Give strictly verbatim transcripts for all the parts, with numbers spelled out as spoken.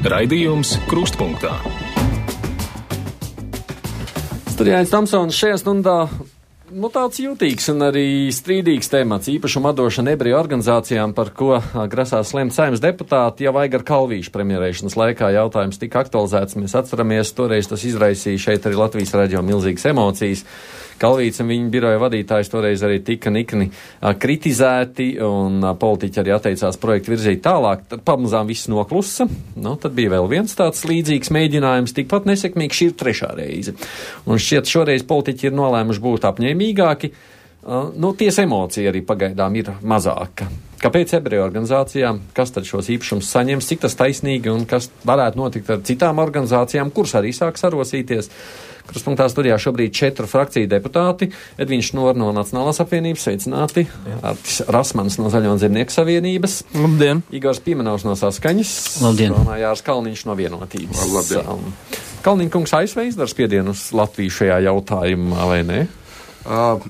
Raidījums Krustpunktā. Studijāns Tamsons šajā stundā nu, tāds jūtīgs un arī strīdīgs temats, īpašuma atdošana ebreju organizācijām, par ko grasās lemt Saeimas deputāti jau Aigara Kalvīša premjerēšanas laikā. Jautājums tika aktualizēts, mēs atceramies, toreiz tas izraisīja šeit arī Latvijas radio milzīgas emocijas. Kalvīts un viņa biroja vadītājs toreiz arī tika nikni a, kritizēti, un a, politiķi arī atteicās projektu virzīt tālāk. Tad pamazām viss noklusa. Nu, tad bija vēl viens tāds līdzīgs mēģinājums, tikpat nesekmīgs, šī ir trešā reize. Un šķiet, šoreiz politiķi ir nolēmuši būt apņēmīgāki. A, nu, tiesa emocija arī pagaidām ir mazāka. Kāpēc ebreju organizācijām, kas tad šos īpašumus saņems, cik tas taisnīgi un kas varētu notikt ar citām organizācijām, kuras arī sāk sarosīties? Krustpunktā studijā šobrīd četru frakciju deputāti. Edviņš Nor no Nacionālās apvienības, sveicināti. Artis Rasmans no Zaļo un Zemnieku savienības. Labdien. Igors Piemenovs no Saskaņas. Labdien. Un Jārs Kalniņš no Vienotības. Labdien. Um, Kalniņkungs A S V izdara spiedienu uz Latviju šajā jautājumā, vai ne? Uh,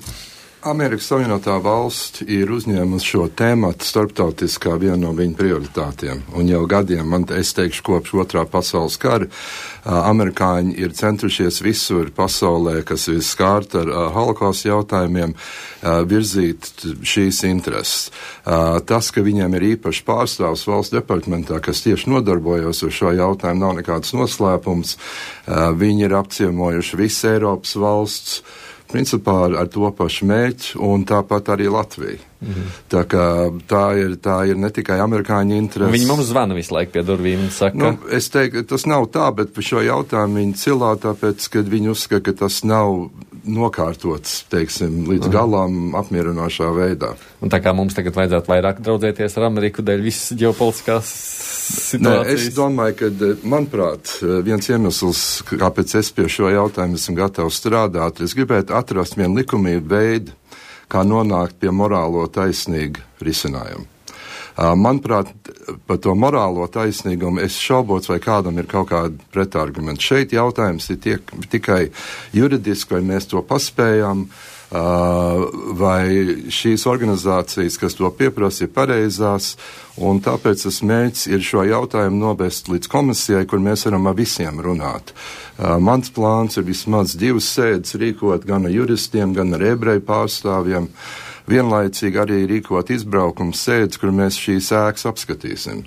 Amerikas Savienotā valsts ir uzņēmusi šo tēmatu starptautiskā viena no viņu prioritātiem. Un jau gadiem, man, es teikšu, kopš otrā pasaules kara, uh, amerikāņi ir centušies visur pasaulē, kas ir skārt ar uh, holokausta jautājumiem, uh, virzīt šīs intereses. Uh, tas, ka viņiem ir īpaši pārstāvs valsts departamentā, kas tieši nodarbojas ar šo jautājumu, nav nekāds noslēpums. Uh, viņi ir apciemojuši visu Eiropas valsts, principā ar to pašu mērķi, un tāpat arī Latvija. Mm-hmm. Tā kā tā ir, tā ir ne tikai amerikāņu interesi. Viņi mums zvana visu laiku pie durvīm un saka. Nu, es teiktu, tas nav tā, bet par šo jautājumu viņi cilā, tāpēc, ka viņi uzskata, ka tas nav nokārtots, teiksim, līdz galam apmierinošā veidā. Un tā kā mums tagad vajadzētu vairāk draudzēties ar Ameriku dēļ visas ģeopolitiskās situācijas. Nē, es domāju, ka, manuprāt, viens iemesls, kāpēc es pie šo jautājumu esmu gatavs strādāt, es gribētu atrast vienu likumīgu veidu, kā nonākt pie morālo taisnīgu risinājumu. Manuprāt, par to morālo taisnīgumu es šaubos, vai kādam ir kaut kāda pretargumenta. Šeit jautājums ir tiek, tikai juridiski, vai mēs to paspējam, vai šīs organizācijas, kas to pieprasa, ir pareizās, un tāpēc tas mērķis ir šo jautājumu novest līdz komisijai, kur mēs varam ar visiem runāt. Mans plāns ir vismaz divas sēdes rīkot gan ar juristiem, gan ar ebreju pārstāvjiem, vienlaicīgi arī rīkot izbraukums sēdes, kur mēs šīs ēkas apskatīsim.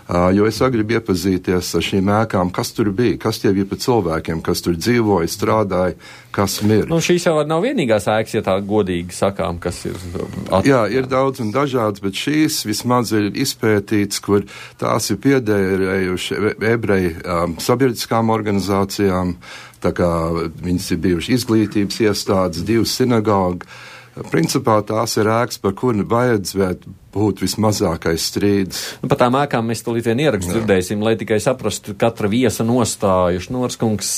Uh, jo es gribu iepazīties ar šīm ēkām, kas tur bija, kas tie bija par cilvēkiem, kas tur dzīvoja, strādāja, kas mir. Nu, šīs jau nav vienīgās ēkas, ja tā godīgi sakām, kas ir at... Jā, ir daudz un dažāds, bet šīs vismaz ir izpētīts, kur tās ir piederējuši ebreju um, sabiedriskām organizācijām, tā kā viņas ir bijuši izglītības iestādes, divas sinagogas. Principā tās ir ēkas, par kuru vajadzētu būt vismazākais strīds. Nu, par tām ēkām mēs tulīt vien ierakstu dzirdēsim, lai tikai saprastu katra viesa nostāju. Norskungs,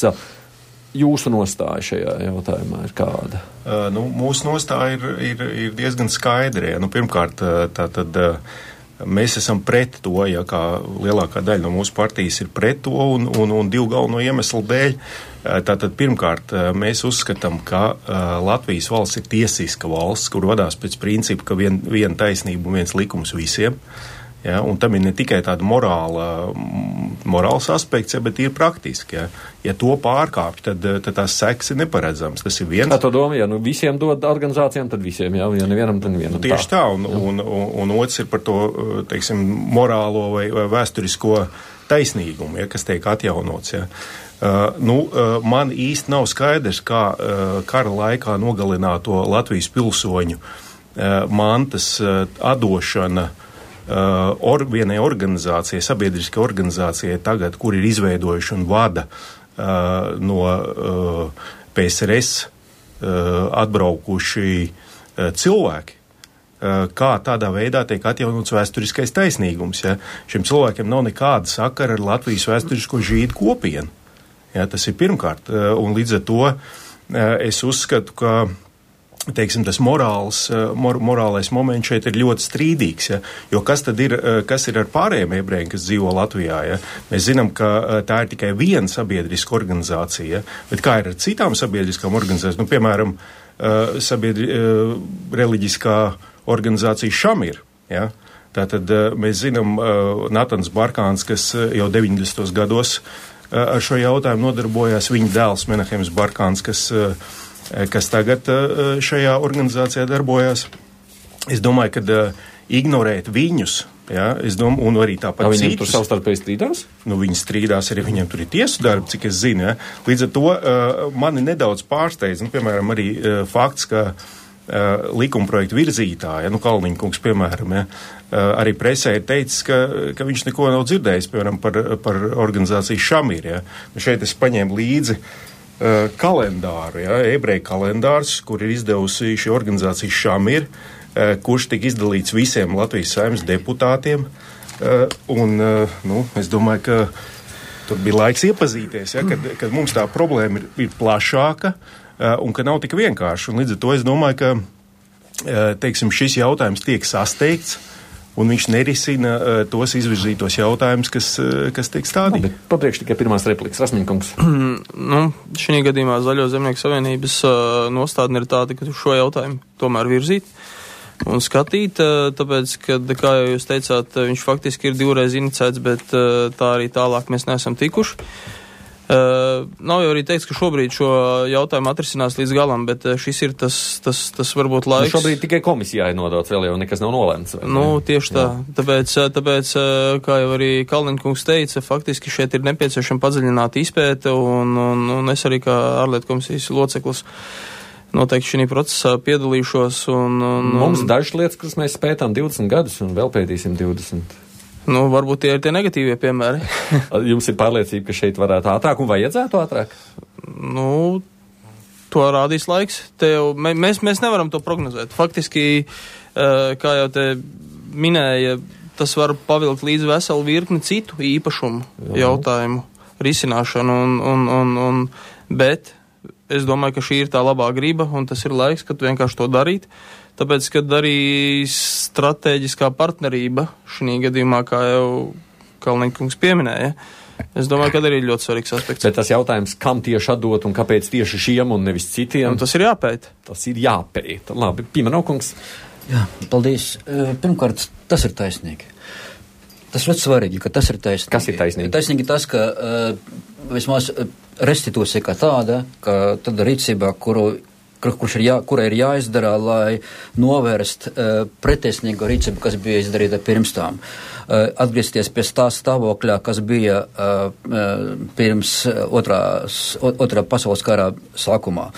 jūsu nostāja šajā jautājumā ir kāda? Uh, nu, mūsu nostāja ir, ir, ir diezgan skaidra. Nu, pirmkārt, tā tad mēs esam pret to, ja kā lielākā daļa no mūsu partijas ir pret to, un, un, un divu galveno iemeslu dēļ. Tātad pirmkārt, mēs uzskatām, ka Latvijas valsts ir tiesiska valsts, kur vadās pēc principa, ka vien, viena taisnība un viens likums visiem. Ja, un tam ir ne tikai tāda morāla, morāls aspekts, ja, bet ir praktiski. Ja, ja to pārkāpj, tad, tad tās sekas ir neparedzams. Tas ir viens. Tā to doma, ja nu visiem dod organizācijām, tad visiem, ja, ja nevienam, tad nevienam. Nu, tieši tā, un, un, un, un otrs ir par to, teiksim, morālo vai, vai vēsturisko taisnīgumu, ja, kas tiek atjaunots, ja. Uh, nu, uh, man īsti nav skaidrs, kā uh, kara laikā nogalināto Latvijas pilsoņu uh, mantas uh, atdošana uh, or, vienai organizācijai, sabiedriskai organizācijai tagad, kur ir izveidojuši un vada uh, no uh, P S R S uh, atbraukuši uh, cilvēki. Kā tādā veidā tiek atjaunots vēsturiskais taisnīgums. Ja? Šiem cilvēkiem nav nekāda sakara ar Latvijas vēsturisko žīdu kopienu. Ja, tas ir pirmkārt. Un līdz ar to es uzskatu, ka teiksim, tas morāls, mor, morālais moments šeit ir ļoti strīdīgs. Ja? Jo kas tad ir, kas ir ar pārējiem ebrejiem, kas dzīvo Latvijā? Ja? Mēs zinām, ka tā ir tikai viena sabiedriska organizācija, ja? Bet kā ir ar citām sabiedriskām organizācijām? Nu, piemēram, sabiedri, reliģiskā organizācija Šamir, ja? Tātad mēs zinām, Natans Barkāns, kas jau deviņdesmitos gados ar šo jautājumu nodarbojās, viņa dēls Menahems Barkāns, kas, kas tagad šajā organizācijā darbojās. Es domāju, ka ignorēt viņus, ja, es domāju, un arī tāpat citus. Viņiem citus, tur savstarpēji strīdās? Nu, viņi strīdās, arī viņiem tur ir tiesu darbi, cik es zinu. Ja. Līdz ar to uh, mani nedaudz pārsteidz, nu, piemēram, arī uh, fakts, ka uh, likumprojektu virzītāja, nu, Kalniņkungs, piemēram, ja, uh, arī presē ir teicis, ka, ka viņš neko nav dzirdējis, piemēram, par, par organizāciju Šamir. Ja. Nu, šeit es paņēmu līdzi uh, kalendāru, ja, ebreju kalendārs, kur ir izdevusi šī organizācija Šamir, kurš tika izdalīts visiem Latvijas Saeimas deputātiem, un, nu, es domāju, ka tur bija laiks iepazīties, ja, kad, kad mums tā problēma ir, ir plašāka, un ka nav tik vienkārši, un līdz ar to es domāju, ka, teiksim, šis jautājums tiek sasteigts, un viņš nerisina uh, tos izvirzītos jautājumus, kas, uh, kas tiek stādīti. Papriekš tikai pirmās replikas, Rasmiņkungs. Nu, šī gadījumā Zaļo zemnieku savienības uh, nostādne ir tāda, ka šo jautājumu tomēr virzīt un skatīt, uh, tāpēc, kad, kā jau jūs teicāt, viņš faktiski ir divreiz inicēts, bet uh, tā arī tālāk mēs neesam tikuši. Uh, nav jau arī teikts, ka šobrīd šo jautājumu atrisinās līdz galam, bet uh, šis ir tas, tas, tas varbūt laiks. Nu, šobrīd tikai komisijai nodots, vēl jau nekas nav nolēmts. Nu, tieši tā. Jā. Tāpēc, tāpēc, kā jau arī Kalniņkungs teica, faktiski šeit ir nepieciešama padziļināta izpēte, un, un, un es arī kā ārlietu komisijas loceklis noteikti šī procesā piedalīšos. Un, un, Mums dažas lietas, kuras mēs pētām divdesmit gadus, un vēl pētīsim divdesmit. Nu, varbūt tie ir tie negatīvie piemēri. Jums ir pārliecība, ka šeit varētu ātrāk un vajadzētu ātrāk? Nu, to rādīs laiks. Tev, mēs, mēs nevaram to prognozēt. Faktiski, kā jau te minēja, tas var pavilkt līdz veselu virkni citu īpašumu Jā. jautājumu risināšanu, un, un, un, un, bet es domāju, ka šī ir tā labā griba, un tas ir laiks, kad vienkārši to darīt. Tāpēc, kad arī stratēģiskā partnerība šī gadījumā, kā jau Kalniņkungs pieminēja, es domāju, ka arī ir ļoti svarīgs aspekts. Bet tas jautājums, kam tieši atdot un kāpēc tieši šiem un nevis citiem? Un tas ir jāpēta. Tas ir jāpēta. Labi, Pimenaukungs. Jā, paldies. Pirmkārt, tas ir taisnīgi. Tas ļoti svarīgi, ka tas ir taisnīgi. Kas ir taisnīgi? Taisnīgi tas, ka uh, vismaz restitūcija kā tāda, ka tāda rīcībā, kuru kurš ir jā, kura ir jāizdara, lai novērst uh, pretesnīgo rīcību, kas bija izdarīta pirms tām. Uh, atgriezties pie tā stāvokļa, kas bija uh, uh, pirms otrās, otrā pasaules kara sākumā.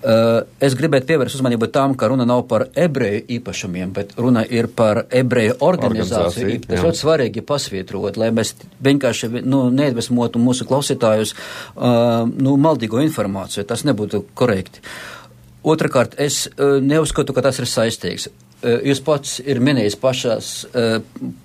Uh, es gribētu pievērst uzmanību tam, ka runa nav par ebreju īpašumiem, bet runa ir par ebreju organizāciju. Tas ļoti svarīgi pasvītrot, lai mēs vienkārši nu, neiedvesmotu mūsu klausītājus uh, nu, maldīgo informāciju. Tas nebūtu korekti. Otrakārt, es uh, neuzskatu, ka tas ir saistīgs. Uh, jūs pats ir minējis pašās uh,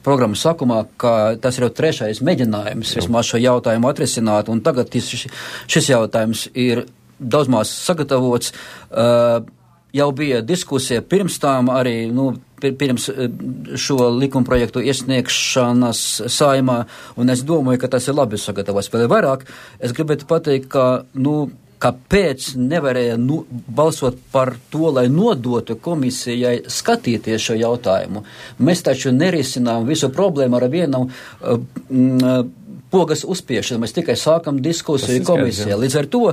programmas sākumā, ka tas ir jau trešais mēģinājums vismaz šo jautājumu atrisināt, un tagad šis, šis jautājums ir daudz maz sagatavots. Uh, jau bija diskusija pirms tām arī, nu, pirms šo likumprojektu iesniegšanas Saeimā, un es domāju, ka tas ir labi sagatavots. Vēl vairāk, es gribētu pateikt, ka, nu, kāpēc nevarēja nu, balsot par to, lai nodotu komisijai skatīties šo jautājumu. Mēs taču nerisinām visu problēmu ar vienu uh, mm, pogas uzspiešanu. Mēs tikai sākam diskusiju komisijā. Līdz ar to,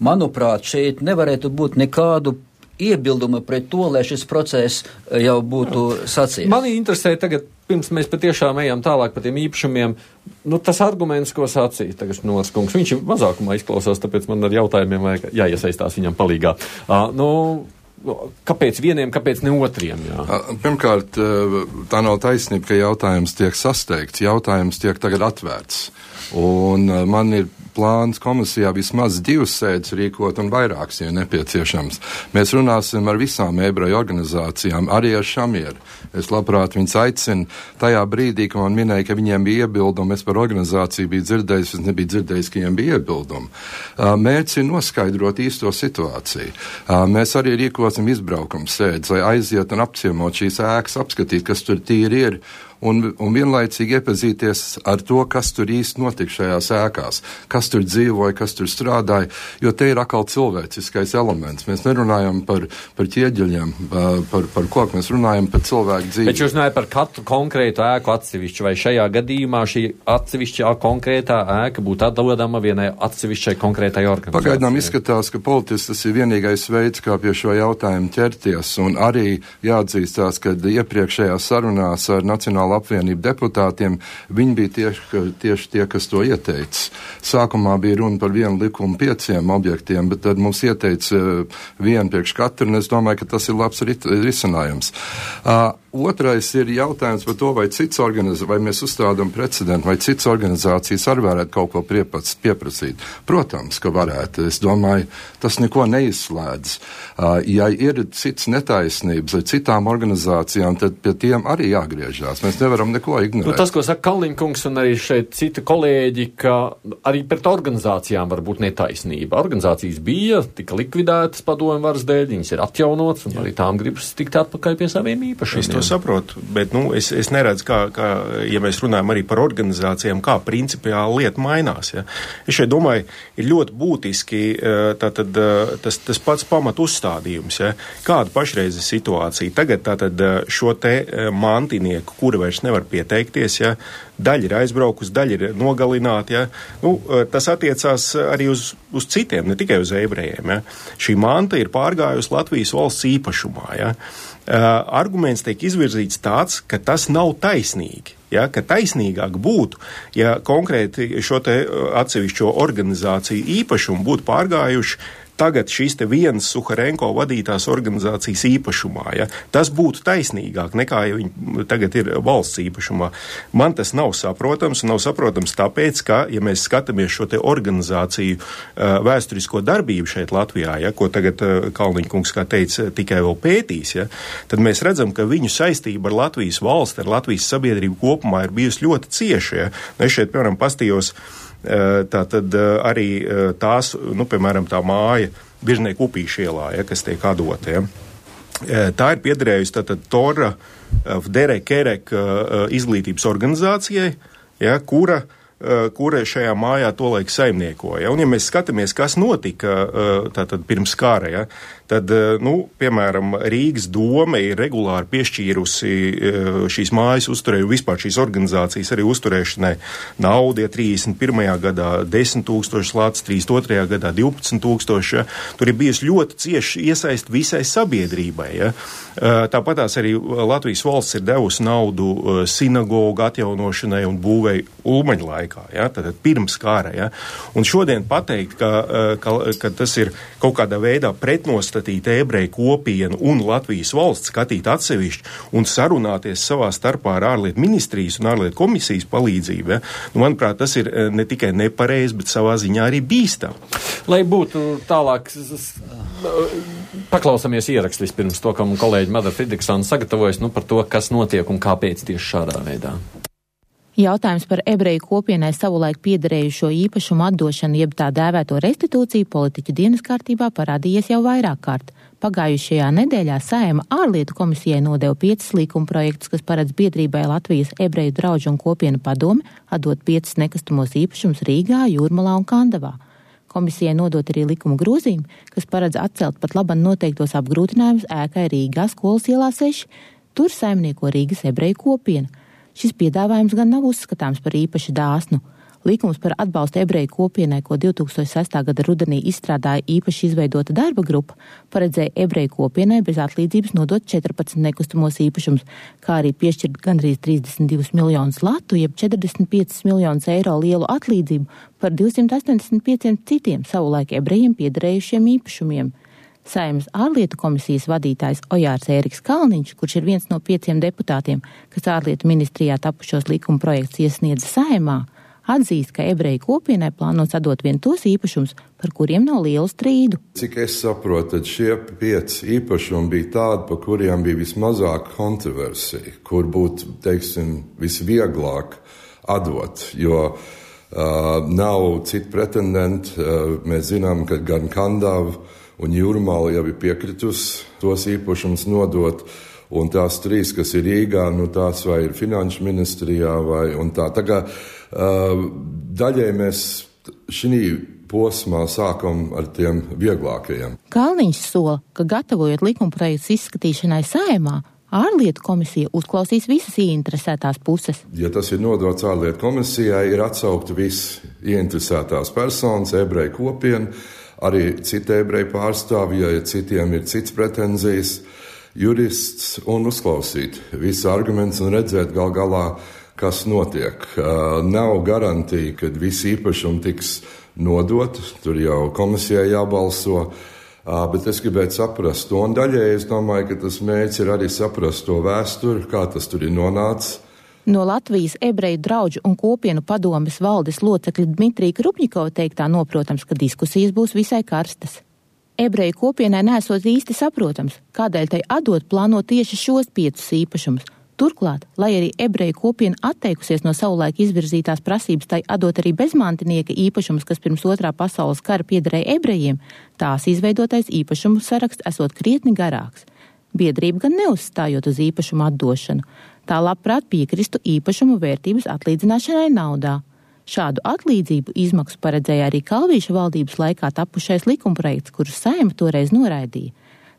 manuprāt, šeit nevarētu būt nekādu iebildumu pret to, lai šis process jau būtu sacīts. Mani interesē tagad, pirms mēs patiešām ejam tālāk par tiem īpašumiem, nu tas arguments, ko sacīja tagad Nors kungs, viņš ir mazākumā izklausās, tāpēc man ar jautājumiem vajag jāiesaistās viņam palīgā. Uh, nu, kāpēc vieniem, kāpēc ne otriem? Jā? Pirmkārt, tā nav taisnība, ka jautājums tiek sasteigts, jautājums tiek tagad atvērts. Un man ir plāns komisijā vismaz divas sēdes rīkot un vairākas, ja nepieciešams. Mēs runāsim ar visām ebreju organizācijām, arī ar Šamieru. Es labprāt viņus aicinu. Tajā brīdī, kad man minēja, ka viņiem bija iebildumi, es par organizāciju biju dzirdējis, es nebiju dzirdējis, ka viņiem bija iebildumi. Mērķis ir noskaidrot īsto situāciju. Mēs arī rīkosim izbraukums sēdes, lai aiziet un apciemot šīs ēkas, apskatīt, kas tur tīri ir. un, un vienlaicīgi iepazīties ar to, kas tur īsti notika šajās ēkās, kas tur dzīvoja, kas tur strādāja, jo te ir atkal cilvēciskais elements. Mēs nerunājam par, par ķieģeļiem, par, par koku, mēs runājam par cilvēku dzīvi. Bet jūs runājat par katru konkrētu ēku atsevišķi, vai šajā gadījumā šī atsevišķā konkrētā ēka būtu atdodama vienai atsevišķai konkrētai organizācijai? Pagaidām izskatās, ka politiski tas ir vienīgais veids, kā pie šo jautājumu ķerties, un arī jāatzīstās, ka iepriekšējās sarunās ar Nacionālo apvienību deputātiem viņi bija tieši, tieši tie, kas to ieteica. Sākumā bija runa par vienu likumu pieciem objektiem, bet tad mums ieteica vienu priekš katru, un es domāju, ka tas ir labs risinājums. Uh, Otrais ir jautājums par to, vai cits organizācijas, vai mēs uzstādām precedentu, vai cits organizācijas arī varētu kaut ko priepats, pieprasīt. Protams, ka varētu. Es domāju, tas neko neizslēdz. Uh, ja ir cits netaisnības ar citām organizācijām, tad pie tiem arī jāgriežās. Mēs nevaram neko ignorēt. Nu, tas, ko saka Kalniņkungs un arī šeit citi kolēģi, ka arī pret organizācijām var būt netaisnība. Organizācijas bija, tika likvidētas padomju varas dēļ, viņas ir atjaunotas, un arī tām gribas tikt atpakaļ pie saviem īpašiem. To saprotu, bet nu, es, es neredzu, kā, kā, ja mēs runājam arī par organizācijām, kā principiāli lieta mainās. Ja. Es šeit domāju, ir ļoti būtiski tātad, tas, tas pats pamat uzstādījums. Ja. Kāda pašreiz ir situācija? Tagad tātad šo te mantinieku, kuri vairs nevar pieteikties, ja, daļa ir aizbraukus, daļa ir nogalināti. Ja. Nu, tas attiecās arī uz, uz citiem, ne tikai uz ebrejiem. Ja. Šī manta ir pārgājusi Latvijas valsts īpašumā. Ja. Uh, arguments tiek izvirzīts tāds, ka tas nav taisnīgi. Ja, ka taisnīgāk būtu, ja konkrēti šo te atsevišķo organizāciju īpašumu būtu pārgājuši tagad šīs te vienas Suharenko vadītās organizācijas īpašumā. Ja? Tas būtu taisnīgāk nekā, ja viņi tagad ir valsts īpašumā. Man tas nav saprotams, un nav saprotams tāpēc, ka, ja mēs skatāmies šo te organizāciju uh, vēsturisko darbību šeit Latvijā, ja, ko tagad uh, Kalniņkungs, kā teica, tikai vēl pētīs, ja, tad mēs redzam, ka viņu saistība ar Latvijas valsti, ar Latvijas sabiedrību kopumā ir bijusi ļoti cieša. Ja? Nu, es šeit, piemēram, pastījos tā tad arī tās, nu, piemēram, tā māja Biržnieku Upīša ielā, ja, kas tiek atdota. Ja. Tā ir piederējusi tātad Tora Vdere Kerek izglītības organizācijai, ja, kura kura šajā mājā tolaik saimniekoja. Un, ja mēs skatāmies, kas notika tātad pirms kara, ja, tad, nu, piemēram, Rīgas dome ir regulāri piešķīrusi šīs mājas uzturēju, vispār šīs organizācijas arī uzturēšanai naudu, ja trīsdesmit pirmajā gadā desmit tūkstoši lats, trīsdesmit otrajā gadā divpadsmit tūkstoši. Ja. Tur ir bijusi ļoti cieši iesaist visai sabiedrībai. Ja. Tāpatās arī Latvijas valsts ir devusi naudu sinagogu atjaunošanai un būvei Ulmaņa laikā, ja, tad pirms kara. Ja. Un šodien pateikt, ka, ka, ka tas ir kaut kādā veidā pretnostatīt ebreju kopienu un Latvijas valsts, skatīt atsevišķi un sarunāties savā starpā ar ārlietu ministrijas un ārlietu komisijas palīdzību, ja. Nu, manuprāt, tas ir ne tikai nepareizi, bet savā ziņā arī bīstam. Lai būtu tālāk, paklausāmies ierakstu vispirms to, kam kolēģi Madara Fridriksona sagatavojas, nu, par to, kas notiek un kāpēc tieši šādā veidā. Jautājums par ebreju kopienai savulaik piederējušo īpašumu atdošanu, jeb tā dēvēto restitūciju politiķu dienas kārtībā parādījies jau vairāk kārt. Pagājušajā nedēļā Saeima ārlietu komisijai nodeva piecas līkuma projektus, kas paredz biedrībai Latvijas ebreju draudžu un kopienu padome atdot piecas nekustamos īpašumus Rīgā, Jūrmalā un Kandavā. Komisijai nodot arī likuma grozījumi, kas paredz atcelt pat laban noteiktos apgrūtinājumus ēkai Rīgā, Skolas ielā seši. Tur saimnieko Rīgas ebreju kopiena. Šis piedāvājums gan nav uzskatāms par īpaši dāsnu. Likums par atbalstu ebreju kopienai, ko divi tūkstoši sestā gada rudenī izstrādāja īpaši izveidota darba grupa, paredzēja ebreju kopienai bez atlīdzības nodot četrpadsmit nekustamos īpašumus, kā arī piešķirt gandrīz trīsdesmit divus miljonus latu, jeb četrdesmit piecus miljonus eiro lielu atlīdzību par divsimt astoņdesmit pieciem citiem savulaik ebrejiem piederējušiem īpašumiem. Saeimas ārlietu komisijas vadītājs Ojārs Ēriks Kalniņš, kurš ir viens no pieciem deputātiem, kas ārlietu ministrijā tapušos likuma projekts iesniedza Saeimā, atzīst, ka ebreju kopienai plānots atdot vien tos īpašumus, par kuriem nav lielu strīdu. Cik es saprotu, tad šie pieci īpašumi bija tādi, par kuriem bija vismazāk kontroversija, kur būtu, teiksim, visvieglāk atdot, jo uh, nav citu pretendentu. Uh, mēs zinām, ka gan Kandava un Jūrmala jau ir piekritus tos īpašumus nodot, Un tās trīs, kas ir Rīgā, nu tās vai ir finanšu ministrijā vai un tā. Tā kā uh, daļai mēs šī posmā sākam ar tiem vieglākajiem. Kalniņš sola, ka gatavojot likumprojektus izskatīšanai Saeimā, ārlietu komisija uzklausīs visas ieinteresētās puses. Ja tas ir nodots ārlietu komisijai, ir atsaukti visi ieinteresētās personas, ebreju kopiena, arī citi ebreju pārstāvji, ja citiem ir cits pretenzijas, jurists un uzklausīt visu argumentus un redzēt gal galā, kas notiek. Nav garantija, ka visi īpašumi tiks nodot, tur jau komisijai jābalso, bet es gribētu saprast to, un daļai es domāju, ka tas mērķis ir arī saprast to vēsturi, kā tas tur ir nonācis. No Latvijas ebreju draudžu un kopienu padomes valdes locekļa Dmitrija Krupņikova teiktā noprotams, ka diskusijas būs visai karstas. Ebreju kopienai nesot īsti saprotams, kādēļ tai atdot plāno tieši šos piecus īpašumus. Turklāt, lai arī ebreju kopiena atteikusies no savulaik izvirzītās prasības tai atdot arī bezmantinieka īpašumus, kas pirms otrā pasaules kara piederēja ebrejiem, tās izveidotais īpašumu saraksts esot krietni garāks. Biedrība gan neuzstājot uz īpašumu atdošanu, tā labprāt piekristu īpašumu vērtības atlīdzināšanai naudā. Šādu atlīdzību izmaksu paredzēja arī Kalvīša valdības laikā tapušais likumprojekts, kurus Saeima toreiz noraidīja.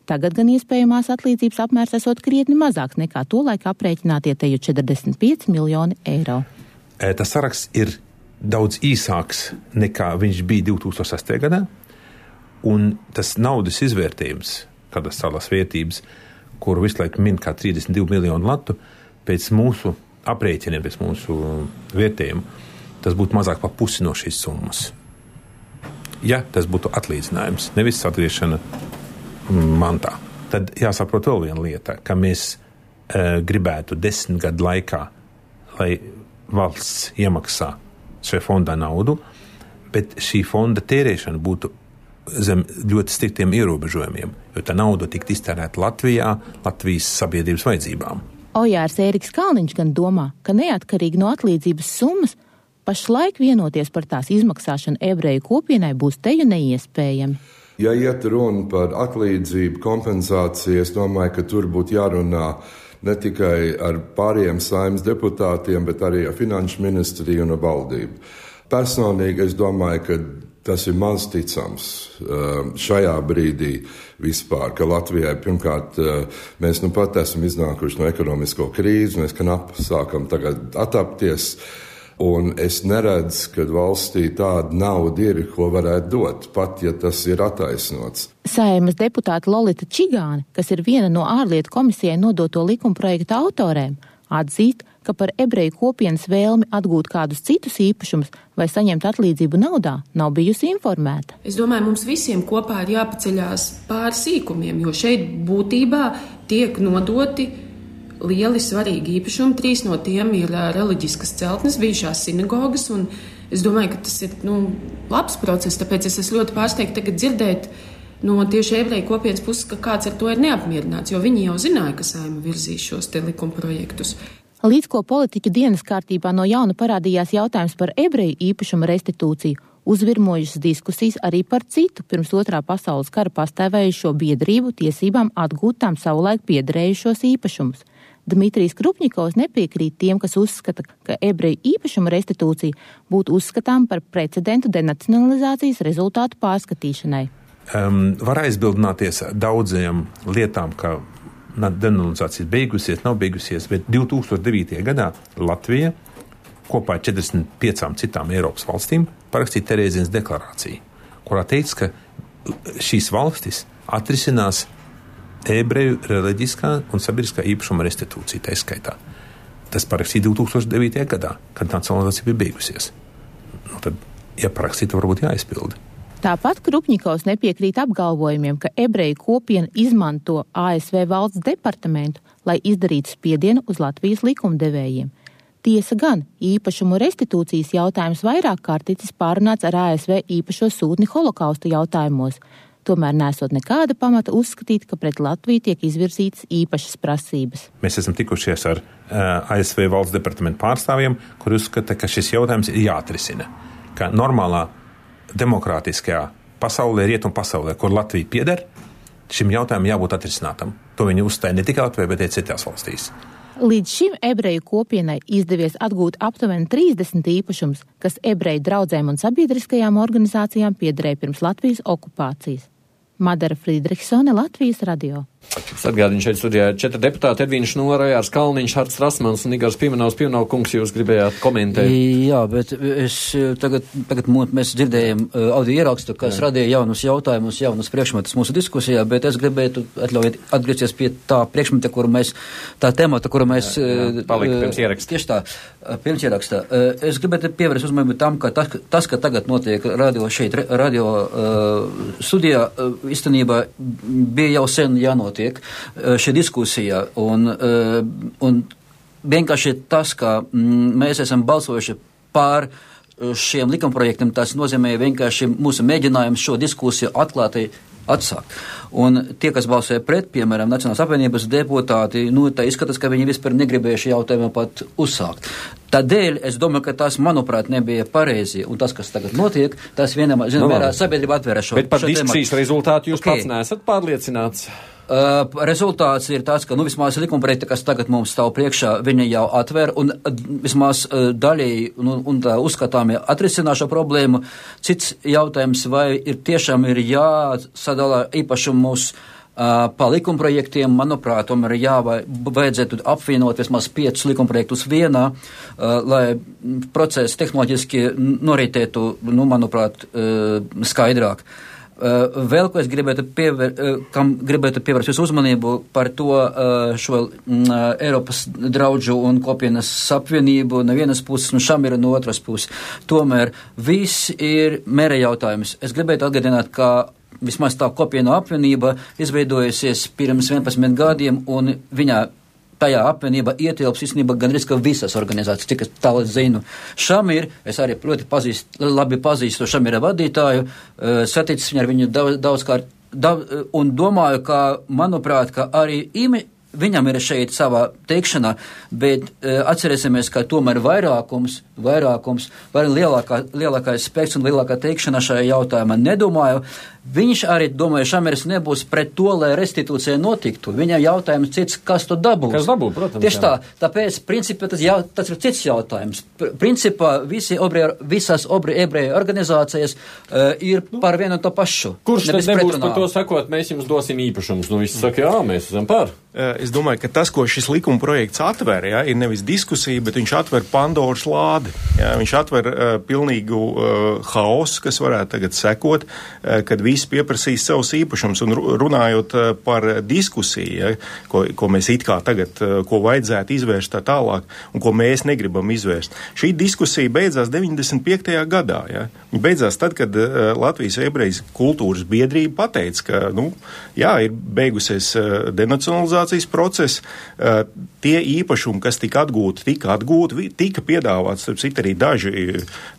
Tagad gan iespējamās atlīdzības apmērs esot krietni mazāks nekā tolaik aprēķinātie teju četrdesmit pieci miljoni eiro. Tas saraksts ir daudz īsāks nekā viņš bija divi tūkstoši sestajā gadā, un tas naudas izvērtējums, kādas salas vērtības, kuru visu laiku min kā trīsdesmit divi miljonu latu, pēc mūsu aprēķiniem, pēc mūsu vērtējumu, tas būtu mazāk pa pusi no šīs summas. Ja tas būtu atlīdzinājums, nevis atgriešana mantā. Tad jāsaprot vēl viena lieta, ka mēs e, gribētu desmit gadu laikā, lai valsts iemaksā šajā fondā naudu, bet šī fonda tērēšana būtu zem ļoti striktiem ierobežojumiem, jo tā nauda tiktu iztērēta Latvijā, Latvijas sabiedrības vajadzībām. Ojārs Ēriks Kalniņš gan domā, ka neatkarīgi no atlīdzības summas, pašlaik vienoties par tās izmaksāšanu ebreju kopienai būs teju neiespējami. Ja iet runa par atlīdzību, kompensāciju, es domāju, ka tur būtu jārunā ne tikai ar pārējiem Saeimas deputātiem, bet arī ar finanšu ministriju un ar valdību. Personīgi es domāju, ka tas ir maz ticams šajā brīdī vispār, ka Latvijai pirmkārt mēs nu pat esam iznākuši no ekonomisko krīzi, mēs knapi sākam tagad atapties. Un es neredzu, ka valstī tāda nauda ir, ko varētu dot, pat ja tas ir attaisnots. Saeimas deputāta Lolita Čigāne, kas ir viena no ārlietu komisijai nodoto likumprojekta autorēm, atzīst, ka par ebreju kopienas vēlmi atgūt kādus citus īpašumus vai saņemt atlīdzību naudā nav bijusi informēta. Es domāju, mums visiem kopā ir jāpaceļās pāri sīkumiem, jo šeit būtībā tiek nodoti lieli svarīgi īpašumi. Trīs no tiem ir reliģiskas celtnes, bijušās sinagogas, un es domāju, ka tas ir nu, labs process, tāpēc es esmu ļoti pārsteigta tagad dzirdēt no tieši ebreju kopienas puses, ka kāds ar to ir neapmierināts, jo viņi jau zināja, ka Saeima virzīs šos te likumprojektus. Līdz ko politiķu dienas kārtībā no jauna parādījās jautājums par ebreju īpašumu restitūciju, uzvirmojušas diskusijas arī par citu pirms otrā pasaules kara pastāvējušo biedrību tiesībām atgūt tām savulaik piederējušos īpašumus. Dmitrijs Krupņikovs nepiekrīt tiem, kas uzskata, ka ebreju īpašuma restitūcija būtu uzskatām par precedentu denacionalizācijas rezultātu pārskatīšanai. Um, var aizbildināties daudziem lietām, ka denacionalizācija beigusies, nav beigusies, bet divi tūkstoši devītajā gadā Latvija kopā ar četrdesmit piecām citām Eiropas valstīm parakstīja Terēzienas deklarāciju, kurā teica, ka šīs valstis atrisinās ebreju reliģiskā un sabiedriskā īpašuma restitūcija tā izskaitā. Tas parakstīja divi tūkstoši devītajā gadā, kad nacionalizācija bija beigusies. Nu, tad, ja parakstīta, varbūt jāizpilda. Tāpat Krupņikovs nepiekrīt apgalvojumiem, ka ebreju kopiena izmanto A S V valsts departamentu, lai izdarītu spiedienu uz Latvijas likumdevējiem. Tiesa gan, īpašumu restitūcijas jautājums vairāk kārt ticis pārunāts ar A S V īpašo sūtni holokausta jautājumos. Tomēr nesot nekāda pamata uzskatīt, ka pret Latviju tiek izvirzītas īpašas prasības. Mēs esam tikušies ar uh, A S V valsts departamentu pārstāvjiem, kur uzskata, ka šis jautājums ir jāatrisina. Ka normālā demokrātiskajā pasaulē, rietumu pasaulē, kur Latvija pieder, šim jautājumam jābūt atrisinātam. To viņi uzstāja ne tikai Latvijā, bet arī citās valstīs. Līdz šim ebreju kopienai izdevies atgūt aptuveni trīsdesmit īpašums, kas ebreju draudzēm un sabiedriskajām organizācijām piederēja pirms Latvijas okupācijas. Madara Friedrichsone, Latvijas radio. Es atgādinu šeit studijā četri deputāti, Edvīns Šnora, Jārs Kalniņš, Harts Rasmans un Igors Pimenovs. Pimenov kungs, jūs gribējāt komentēt? Jā, bet es tagad, tagad mēs dzirdējam audio ierakstu, kas Jā. radīja jaunus jautājumus, jaunus priekšmetus mūsu diskusijā, bet es gribētu atļaujiet atgriezties pie tā priekšmeta, kuru mēs, tā temata, kuru mēs... Jā, jā, palika pirms ieraksta. Tieši tā, pirms ieraksta. Es gribētu pievērst uzmanību tam, ka tas, tas, ka tagad notiek radio šeit, radio uh, studijā, uh, īstenībā bija jau sen jānotiek šī diskusija, un, un vienkārši tas, ka mēs esam balsojuši pār šiem likumprojektiem, tas nozīmē vienkārši mūsu mēģinājums šo diskusiju atklāti atsākt. Un tie, kas balsoja pret, piemēram, Nacionālās apvienības deputāti, nu, tā izskatās, ka viņi vispār negribēja šī jautājumu pat uzsākt. Tādēļ es domāju, ka tas, manuprāt, nebija pareizi, un tas, kas tagad notiek, tas vienam, zinām, no, mērā sabiedrība atvēra šo. Bet par diskusijas rezultātu jūs okay. pats neesat pārliecināts? Uh, rezultāts ir tāds, ka, nu, vismaz likumprojekti, kas tagad mums stāv priekšā, viņi jau atver un uh, vismaz uh, daļēji nu, un tā uzskatāmi atrisinā šo problēmu. Cits jautājums, vai ir tiešām ir jāsadala īpašumus uh, pa likumprojektiem, manuprāt, tomēr jā, vai vajadzētu apvienot vismaz piecus likumprojektus vienā, uh, lai process tehnoloģiski noritētu, nu, manuprāt, uh, skaidrāk. Uh, vēl, ko es gribētu, pievēr, uh, kam gribētu pievērst jūsu uzmanību par to uh, šo uh, Eiropas draudžu un kopienas apvienību no vienas puses un Šamira no otras puses. Tomēr viss ir mēra jautājums. Es gribētu atgādināt, ka vismaz tā kopiena apvienība izveidojusies pirms vienpadsmit gadiem un viņā tajā apvienībā ietilps īstenībā gandrīz ka visas organizācijas, cik es tālāk zinu. Šamir, es arī ļoti pazīst, labi pazīstu Šamira vadītāju, uh, saticis viņu ar viņu daudz, daudzkārt, daudz, un domāju, ka, manuprāt, ka arī imi, viņam ir šeit savā teikšanā, bet uh, atcerēsimies, ka tomēr vairākums, vairākums, vai lielākā, lielākais spēks un lielākā teikšana šajā jautājumā nedomāju. Viņš arī domāja, Šamirs nebūs pret to, lai restitūcija notiktu. Viņam jautājums cits, kas to dabūs. Kas dabū, protams. Tieši tā, tāpēc, principā, tas, jau, tas ir cits jautājums. Principā, visi obri, visas obri ebreju organizācijas uh, ir par vienu un to pašu. Kurš tad nebūs pretrunā. Par to sakot, mēs jums dosim īpašumus? Nu, visi saka, jā, mēs esam par. Es domāju, ka tas, ko šis likuma projekts atver, ja, ir nevis diskusija, bet viņš atver Pandoras lādi. Ja, viņš atver uh, pilnīgu uh, haosu, kas varētu tagad sekot, uh, kad visi pieprasīs savus īpašumus. Un runājot uh, par diskusiju, ja, ko, ko mēs it kā tagad, uh, ko vajadzētu izvērst tā tālāk, un ko mēs negribam izvērst. Šī diskusija beidzās deviņdesmit piektajā gadā. Ja. Viņa beidzās tad, kad uh, Latvijas ebrejas kultūras biedrība pateica, ka, nu, jā, ir beigusies uh, denacionalizācijas process, uh, tie īpašumi, kas tika atgūti, tika atgūti, tika piedāvāts, starp citu, arī daži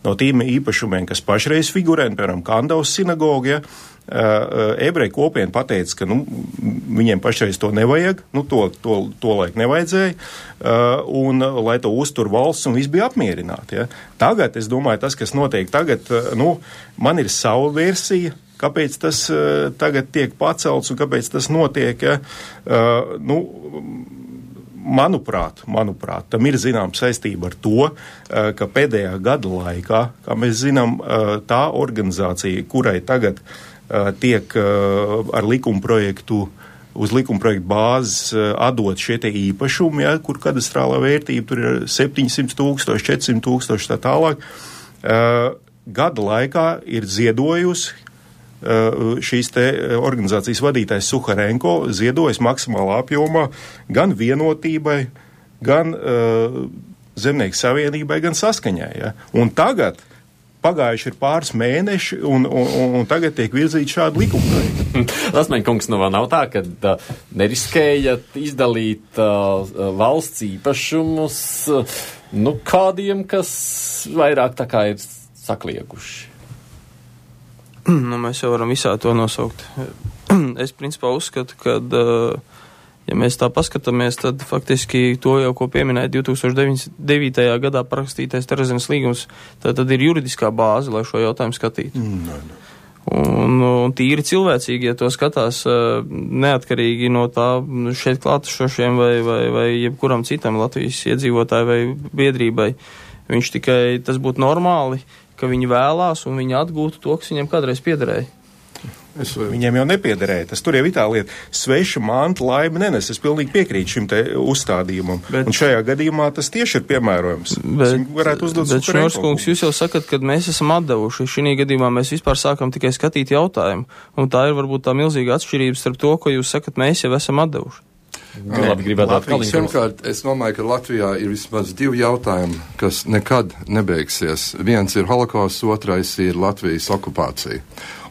no tiem īpašumiem, kas pašreiz figurē, piemēram, Kandavas sinagoga, ja, Uh, ebreju kopiena pateica, ka nu, viņiem pašreiz to nevajag, nu, to, to, to laik nevajadzēja, uh, un lai to uztur valsts un viss bija apmierināti. Ja. Tagad, es domāju, tas, kas notiek tagad, uh, nu, man ir sava versija, kāpēc tas uh, tagad tiek pacelts un kāpēc tas notiek, ja. uh, nu, Manuprāt, manuprāt, tam ir zinām saistība ar to, ka pēdējā gada laikā, kā mēs zinām, tā organizācija, kurai tagad tiek ar likumprojektu, uz likumprojektu bāzes atdot šie te īpašumi, ja, kur kadastrālā vērtība tur ir septiņsimt tūkstoši, četrsimt tūkstoši tā tālāk, gada laikā ir ziedojusi šīs te organizācijas vadītājs Suharenko ziedojas maksimālā apjomā gan vienotībai, gan uh, Zemnieku savienībai, gan Saskaņai. Ja? Un tagad pagājuši ir pāris mēneši, un, un, un tagad tiek virzīti šādi likumprojekti. Rasmeņkungs, nu vēl nav tā, ka uh, neriskējat izdalīt uh, valsts īpašumus uh, nu, kādiem, kas vairāk tā kā ir saklieguši. Nu, mēs jau varam visā to nosaukt. Es principā uzskatu, ka, ja mēs tā paskatāmies, tad faktiski to jau, ko pieminēja divi tūkstoši devītajā gadā parakstītais Terezienas līgums, tad, tad ir juridiskā bāze, lai šo jautājumu skatītu. Mm, no, no. Un, un tīri cilvēcīgi, ja to skatās neatkarīgi no tā šeit klātešošiem vai, vai, vai jebkuram citam Latvijas iedzīvotāju vai biedrībai, viņš tikai tas būtu normāli, ka viņi vēlās un viņi atgūtu to, kas viņam kādreiz piederēja. Es, viņiem jau nepiederēja. Tas tur jau ir tā lieta. Sveša manta laime nenes. Es pilnīgi piekrītu šim te uzstādījumam. Bet, un šajā gadījumā tas tieši ir piemērojams. Bet, varētu uzdot bet Šņorskungs, jūs jau sakat, ka mēs esam atdevuši. Šī gadījumā mēs vispār sākam tikai skatīt jautājumu. Un tā ir varbūt tā milzīga atšķirība starp to, ko jūs sakat, mēs jau esam atdevuši. Labi, gribētu atkal. Pirmkārt, es domāju, ka Latvijā ir vismaz divi jautājumi, kas nekad nebeigsies. Viens ir holokausts, otrais ir Latvijas okupācija.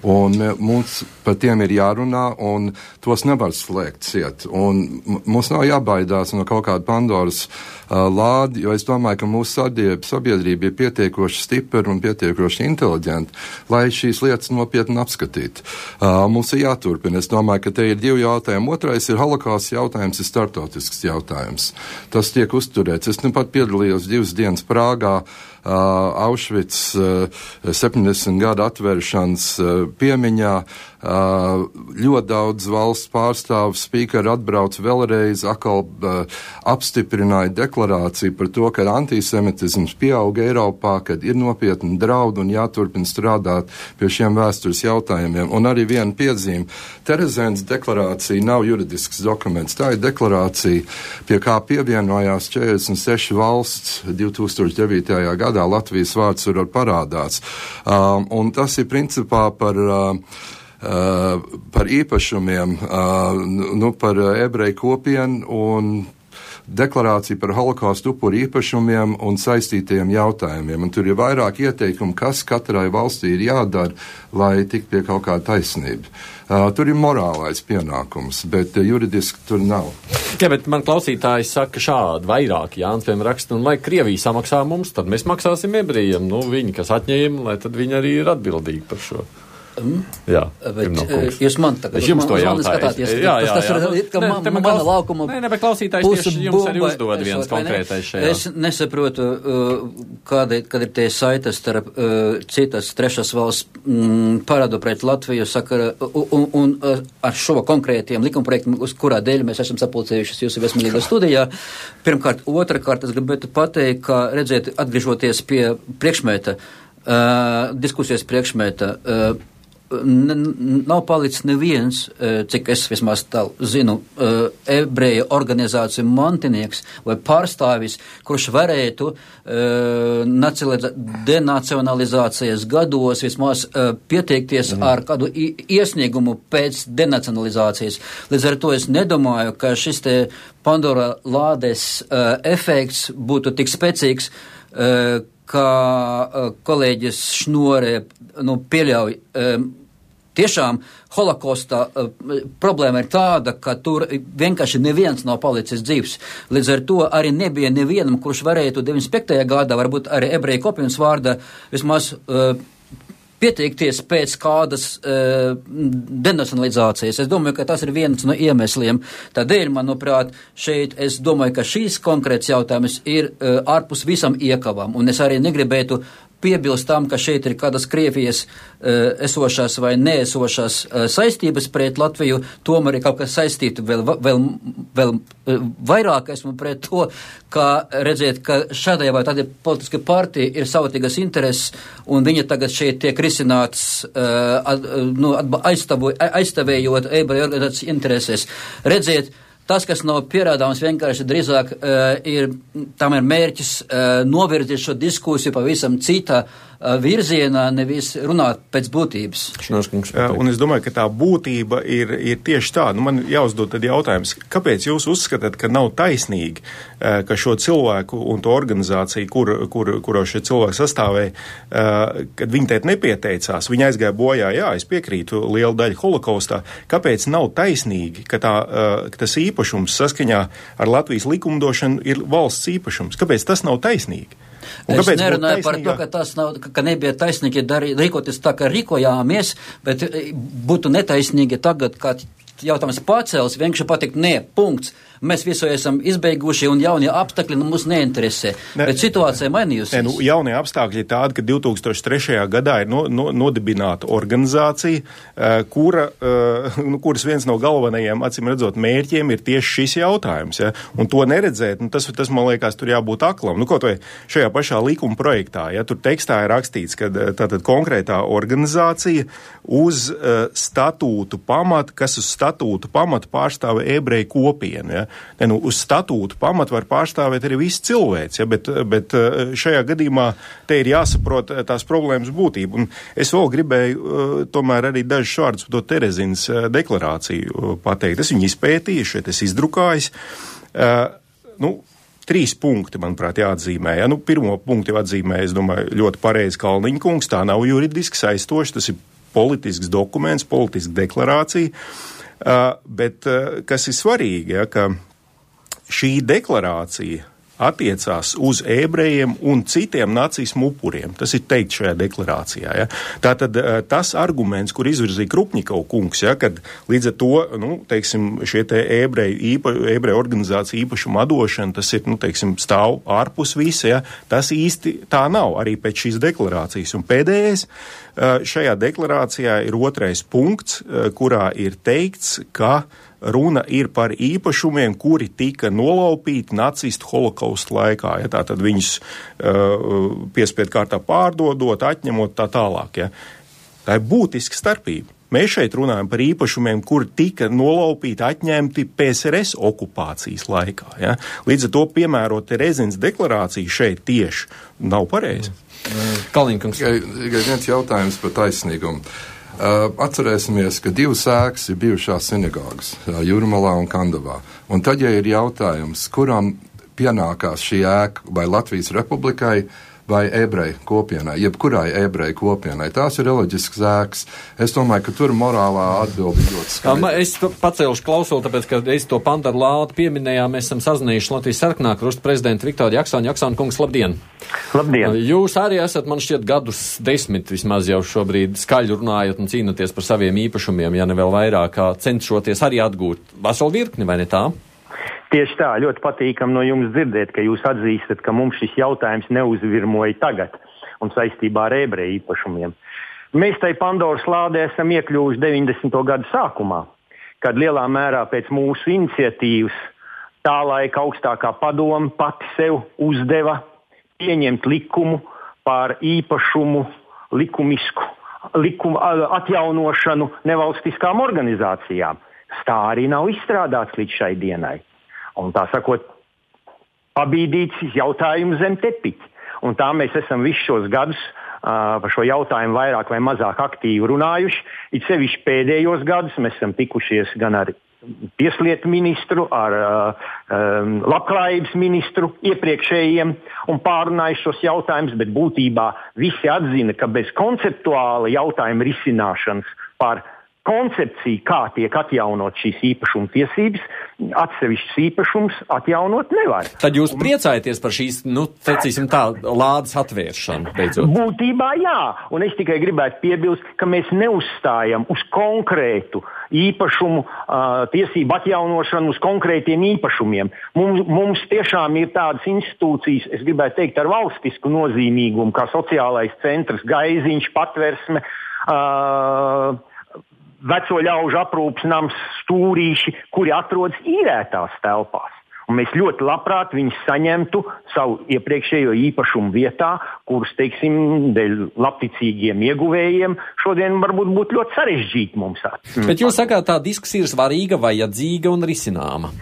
Un mums par tiem ir jārunā, un tos nevar slēgt ciet. Un mums nav jābaidās no kaut kāda Pandoras uh, lādi, jo es domāju, ka mūsu sabiedrība ir pietiekoši stipra un pietiekoši inteliģenta, lai šīs lietas nopietni apskatītu. Uh, mums ir jāturpina. Es domāju, ka te ir divi jautājumi. Otrais ir holokausts jautājums, ir startautisks jautājums. Tas tiek uzturēts. Es nu pat piedalījos divas dienas Prāgā, Uh, Aušvic uh, septiņdesmit gadu atvēršanas uh, piemiņā. Uh, ļoti daudz valsts pārstāvu spīkeri atbrauc vēlreiz, atkal uh, apstiprināja deklarāciju par to, ka antisemitisms pieauga Eiropā, kad ir nopietni draudi un jāturpina strādāt pie šiem vēstures jautājumiem. Un arī viena piezīme. Terezēnas deklarācija nav juridisks dokuments. Tā ir deklarācija, pie kā pievienojās četrdesmit seši valsts divi tūkstoši devītajā gadā. Latvijas vārds tur var parādās. Um, un tas ir principā par uh, Uh, par īpašumiem, uh, nu, par ebreju kopienu un deklarāciju par holokaustu upuru īpašumiem un saistītajiem jautājumiem. Un tur ir vairāk ieteikumu, kas katrai valstī ir jādara, lai tik pie kaut kā taisnība. Uh, tur ir morālais pienākums, bet uh, juridiski tur nav. Jā, bet man klausītājs saka šādi, vairāk Jānis, piemēram, raksta, un lai Krievija samaksā mums, tad mēs maksāsim ebrejiem. Nu, viņi, kas atņēma, lai tad viņi arī ir atbildīgi par šo. Mm. Jā, bet jūs man tagad, es jums to jautāju. Jā, jā, jā. Tas ir, ka man, man mana laukuma nē, ne, bet klausītājs tieši jums arī uzdod viens konkrētais šajā. Es nesaprotu, kāda, kad ir tie saites starp citas trešās valsts mm, parādu pret Latviju sakara, un, un ar šo konkrētiem likumprojektam, uz kurā dēļ mēs esam sapulcējušies jūsu viesmīlīgā studijā. Pirmkārt, otrakārt, es gribētu pateikt, ka, redziet, atgriežoties pie priekšmēta, uh, diskusijas priekšmēta, uh, nav palicis neviens, cik es vismaz tā zinu, ebreju organizāciju mantinieks vai pārstāvis, kurš varētu denacionalizācijas gados vismaz pieteikties mm. ar kādu iesniegumu pēc denacionalizācijas. Līdz ar to es nedomāju, ka šis te Pandora lādes efekts būtu tik spēcīgs, kā kolēģis Šnore nu, pieļauj. Tiešām holokausta uh, problēma ir tāda, ka tur vienkārši neviens nav palicis dzīvs. Līdz ar to arī nebija nevienam, kurš varētu deviņdesmit piektajā gadā, varbūt arī ebreju kopienas vārdā, vismaz uh, pieteikties pēc kādas uh, denacionalizācijas. Es domāju, ka tas ir viens no iemesliem. Tādēļ, manuprāt, šeit es domāju, ka šīs konkrēts jautājums ir uh, ārpus visam iekavām. Un es arī negribētu piebilst tam, ka šeit ir kādas Krievijas uh, esošās vai neesošās uh, saistības pret Latviju, tomēr ir kaut kas saistīti vēl, vēl, vēl uh, vairāk esmu pret to, ka redziet, ka šādai vai tādai politiskai partija ir savatīgas intereses, un viņa tagad šeit tiek risināts uh, ad, nu, aizstavu, aizstāvējot ebreju organizācijas intereses. Redziet, tas, kas nav pierādāms, vienkārši drīzāk uh, ir, tam ir mērķis uh, novirzīt šo diskusiju pavisam cita uh, virzienā, nevis runāt pēc būtības. Jā, un es domāju, ka tā būtība ir, ir tieši tā. Nu, man jāuzdod tad jautājums, kāpēc jūs uzskatāt, ka nav taisnīgi, uh, ka šo cilvēku un to organizāciju, kur, kur, kuro šie cilvēki sastāvēja, uh, kad viņi tēt nepieteicās, viņi aizgāja bojā, jā, es piekrītu lielu daļu holokaustā, kāpēc nav taisnīgi, ka, tā, uh, ka tas īpaši īpašums saskaņā ar Latvijas likumdošanu ir valsts īpašums. Kāpēc tas nav taisnīgi? Un es nerunāju par to, ka tas nav, ka nebija taisnīgi darī, rīkoties tā, ka rīkojāmies, bet būtu netaisnīgi tagad, kad jautājums pacēlis, vienkārši pateikt, nē, punkts. Mēs visu esam izbeiguši un jaunie apstākļi nu, mums neinteresē. Ne, bet situācija mainījusies. Ne, nu, jaunie apstākļi ir tādi, ka divi tūkstoši trešajā gadā ir no, no, nodibināta organizācija, uh, kura, uh, nu, kuras viens no galvenajiem, acīm redzot, mērķiem ir tieši šis jautājums. Ja? Un to neredzēt, nu, tas, tas, man liekas, tur jābūt aklam. Nu, kaut vai šajā pašā likuma projektā, ja tur tekstā ir rakstīts, ka tātad konkrētā organizācija uz uh, statūtu pamata, kas uz statūtu pamata pārstāv ebreju kopienu, ja? Ne, nu, uz statūtu pamatu var pārstāvēt arī viss cilvēks, ja, bet, bet šajā gadījumā te ir jāsaprot tās problēmas būtību. Un es vēl gribēju tomēr arī dažus vārdus par to Terezinas deklarāciju pateikt. Es viņu izpētīju, šeit es izdrukājis. Uh, nu, Trīs punkti, manuprāt, jāatzīmē. Ja? Nu, pirmo punktu jau atzīmē, es domāju, ļoti pareizi Kalniņa kungs, tā nav juridiski saistoši, tas ir politisks dokuments, politiska deklarācija. Uh, bet uh, kas ir svarīgi, ja, ka šī deklarācija attiecās uz ebrejiem un citiem nacismu upuriem. Tas ir teikt šajā deklarācijā. Ja. Tātad tas arguments, kur izvirzīja Krupņikov kungs, ja, kad līdz ar to, nu, teiksim, šie te ebreju, īpa, ebreju organizācija īpašuma atdošana, tas ir, nu, teiksim, stāv ārpus visa, ja, tas īsti tā nav arī pēc šīs deklarācijas. Un pēdējais, šajā deklarācijā ir otrais punkts, kurā ir teikts, ka runa ir par īpašumiem, kuri tika nolaupīti nacistu holokaustu laikā. Ja, tātad viņus uh, piespiedu kārtā pārdodot, atņemot tā tālāk. Ja. Tā ir būtiska starpība. Mēs šeit runājam par īpašumiem, kuri tika nolaupīti, atņemti P S R S okupācijas laikā. Ja. Līdz ar to piemērot Terezinas deklarāciju šeit tieši nav pareizi. Kalniņkungs. Tikai viens jautājums par taisnīgumu. Uh, atcerēsimies, ka divas ēkas ir bijušās sinagogas uh, Jūrmalā un Kandavā. Un tad, ja ir jautājums, kuram pienākās šī ēka, vai Latvijas Republikai, vai ebreju kopienai, jebkurai ebreju kopienai. Tās ir reliģiskas ēkas. Es domāju, ka tur morālā atbildi ļoti skaidra. Es pacēluši klausulu, tāpēc, ka es to Pandaru lādu pieminējām, mēs esam sazinājuši Latvijas Sarkanā krusta prezidentu Viktoru Jaksānu. Jaksānu kungs, labdien! Labdien! Jūs arī esat, man šķiet, gadus desmit vismaz jau šobrīd skaļi runājot un cīnoties par saviem īpašumiem, ja ne vēl vairāk, cenšoties arī atgūt veselu virkni, vai ne tā? Tieši tā, ļoti patīkam no jums dzirdēt, ka jūs atzīstat, ka mums šis jautājums neuzvirmoja tagad un saistībā ar ebreju īpašumiem. Mēs tai Pandoras lādē esam iekļuvuši deviņdesmito gadu sākumā, kad lielā mērā pēc mūsu iniciatīvas tā laika augstākā padome pati sev uzdeva pieņemt likumu par īpašumu likumisku likumu atjaunošanu nevalstiskām organizācijām. Tā arī nav izstrādāts līdz šai dienai. Un tā sakot, pabīdīts jautājums zem tepiķa. Un tā mēs esam visus šos gadus uh, par šo jautājumu vairāk vai mazāk aktīvi runājuši. It sevišķi pēdējos gadus mēs esam tikušies gan ar tieslietu ministru, ar uh, um, labklājības ministru iepriekšējiem un pārunājuši šos jautājumus, bet būtībā visi atzina, ka bez konceptuāla jautājuma risināšanas par koncepcija, kā tiek atjaunot šīs īpašuma tiesības, atsevišķs īpašums atjaunot nevar. Tad jūs priecājaties par šīs, nu, tecīsim tā, lādes atvēršanu, beidzot? Būtībā jā, un es tikai gribētu piebilst, ka mēs neuzstājam uz konkrētu īpašumu uh, tiesību atjaunošanu, uz konkrētiem īpašumiem. Mums, mums tiešām ir tādas institūcijas, es gribētu teikt, ar valstisku nozīmīgumu, kā sociālais centrs, Gaiziņš, Patversme, uh, veco ļaužu aprūpas nams, stūrīši, kuri atrodas īrētās telpās. Un mēs ļoti labprāt viņus saņemtu savu iepriekšējo īpašumu vietā, kurus, teiksim, dēļ labticīgiem ieguvējiem šodien varbūt būtu ļoti sarežģīti mums. Bet jūs sakāt, tā diskusija ir svarīga, vajadzīga un risināma.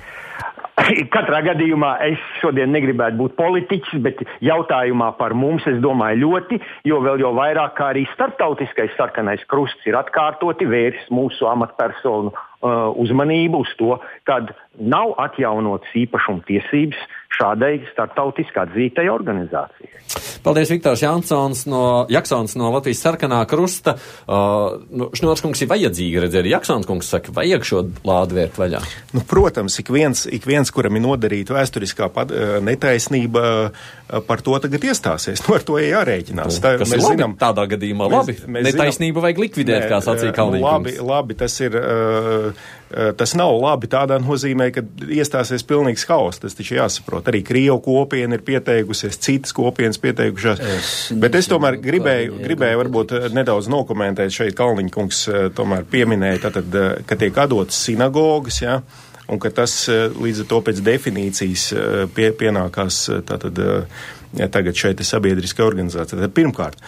Katrā gadījumā es šodien negribētu būt politiķis, bet jautājumā par mums es domāju ļoti, jo vēl jau vairāk kā arī starptautiskais sarkanais krusts ir atkārtoti vērs mūsu amatpersonu uh, uzmanību uz to, kad nav atjaunotas īpašuma tiesības šādai starptautiski atzītai organizācijai. Paldies, Viktors Jansons no Jaksons no Latvijas Sarkanā krusta. Uh, nu, Šņorskungs ir vajadzīgi redzēt, Jaksons kungs saka, vajag šo lādu vērt vaļā. Nu, protams, ik viens, ik viens, kuram ir nodarīta vēsturiskā pad, netaisnība, par to tagad iestāsies. Nu, ar to ir jārēķinās. Tā, kas ir labi, zinām, tādā gadījumā mēs, labi. Mēs Netaisnību zinām, vajag likvidēt, nē, kā sacīja Kalniņkungs. Labi, labi, tas ir, uh, Tas nav labi tādā nozīmē, ka iestāsies pilnīgs haoss. Tas taču jāsaprot. Arī Krievu kopiena ir pieteikusies, citas kopienas pieteikušās. Es Bet es tomēr gribēju, gribēju varbūt nedaudz nokomentēt šeit Kalniņkungs tomēr pieminēja, tātad, ka tiek atdotas sinagogas, jā, un ka tas līdz ar to pēc definīcijas pie, pienākās tātad ja tagad šeit ir sabiedriskai organizācija. Tad pirmkārt,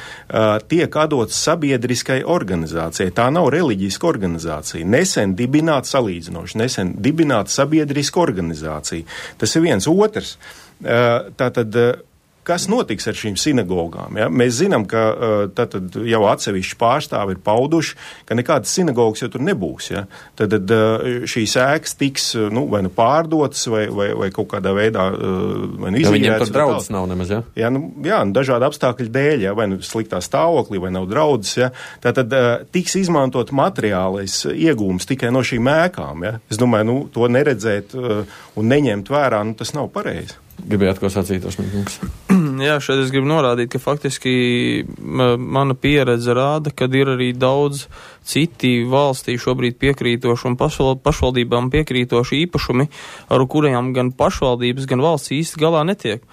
tiek atdots sabiedriskai organizācijai. Tā nav reliģiska organizācija. Nesen dibināta salīdzinoši, nesen dibināta sabiedriska organizācija. Tas ir viens. Otrs, tātad, kas notiks ar šīm sinagogām? Ja? Mēs zinām, ka tātad jau atsevišķi pārstāvi ir pauduši, ka nekādas sinagogas jau tur nebūs. Ja? Tad šīs ēkas tiks nu, vai nu pārdotas, vai, vai, vai kaut kādā veidā vai nu izvīrētas. Ja viņiem tur draudzes nav nemaz, ja? Jā, nu, jā nu, dažādi apstākļi dēļ, ja? Vai nu sliktā stāvoklī, vai nav draudzes. Ja? Tātad tiks izmantot materiālais iegūms tikai no šīm ēkām. Ja? Es domāju, nu, to neredzēt un neņemt vērā, nu, tas nav pareizi. Gribējāt, ko sacīt, Osmīkungs? Jā, šeit es gribu norādīt, ka faktiski mana pieredze rāda, ka ir arī daudz citi valstī šobrīd piekrītoši un pašvaldībām piekrītoši īpašumi, ar kuriem gan pašvaldības, gan valsts īsti galā netiek.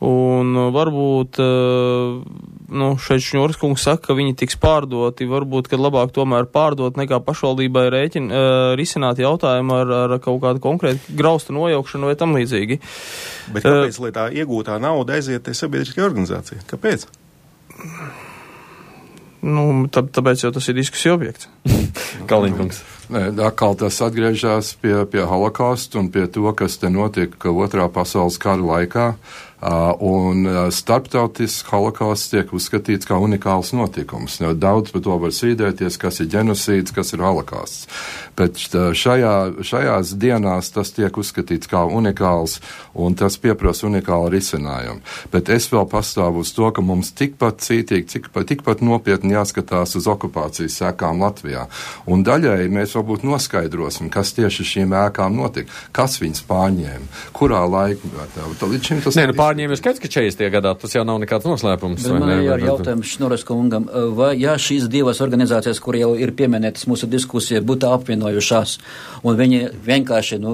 Un varbūt, nu, šeit Šņuras kungs saka, ka viņi tiks pārdoti, varbūt, kad labāk tomēr pārdot nekā pašvaldībai rēķin, risināt jautājumu ar, ar kaut kādu konkrētu graustu nojaukšanu vai tam līdzīgi. Bet kāpēc, lai tā iegūtā nauda aiziet tai sabiedriskai organizācijai? Kāpēc? Nu, tā, tāpēc jau tas ir diskusija objekts. Kalniņkungs. Nē, atkal tas atgriežas pie, pie holokausta un pie to, kas te notika otrā pasaules kara laikā. Uh, un uh, starptautisks holokausts tiek uzskatīts kā unikāls notikums. Daudz par to var sīdēties, kas ir ģenocīds, kas ir holokausts. Bet šajā, šajās dienās tas tiek uzskatīts kā unikāls, un tas pieprasa unikālu risinājumu. Bet es vēl pastāvu uz to, ka mums tikpat cītīgi, tikpat, tikpat nopietni jāskatās uz okupācijas sekām Latvijā. Un daļai mēs varbūt noskaidrosim, kas tieši šīm ēkām notika, kas viņas pārņēma, kurā laikmetā. Līdz šim tas Nē, nu, pārņēma ir skaidrs, ka četrdesmitajā gadā tas jau nav nekāds noslēpums. Bet man ir jautājums Šņuras kungam, vai ja šīs divas organizācijas, kur jau ir pieminētas mūsu diskusija, būtu apvienojušās, un viņi vienkārši nu,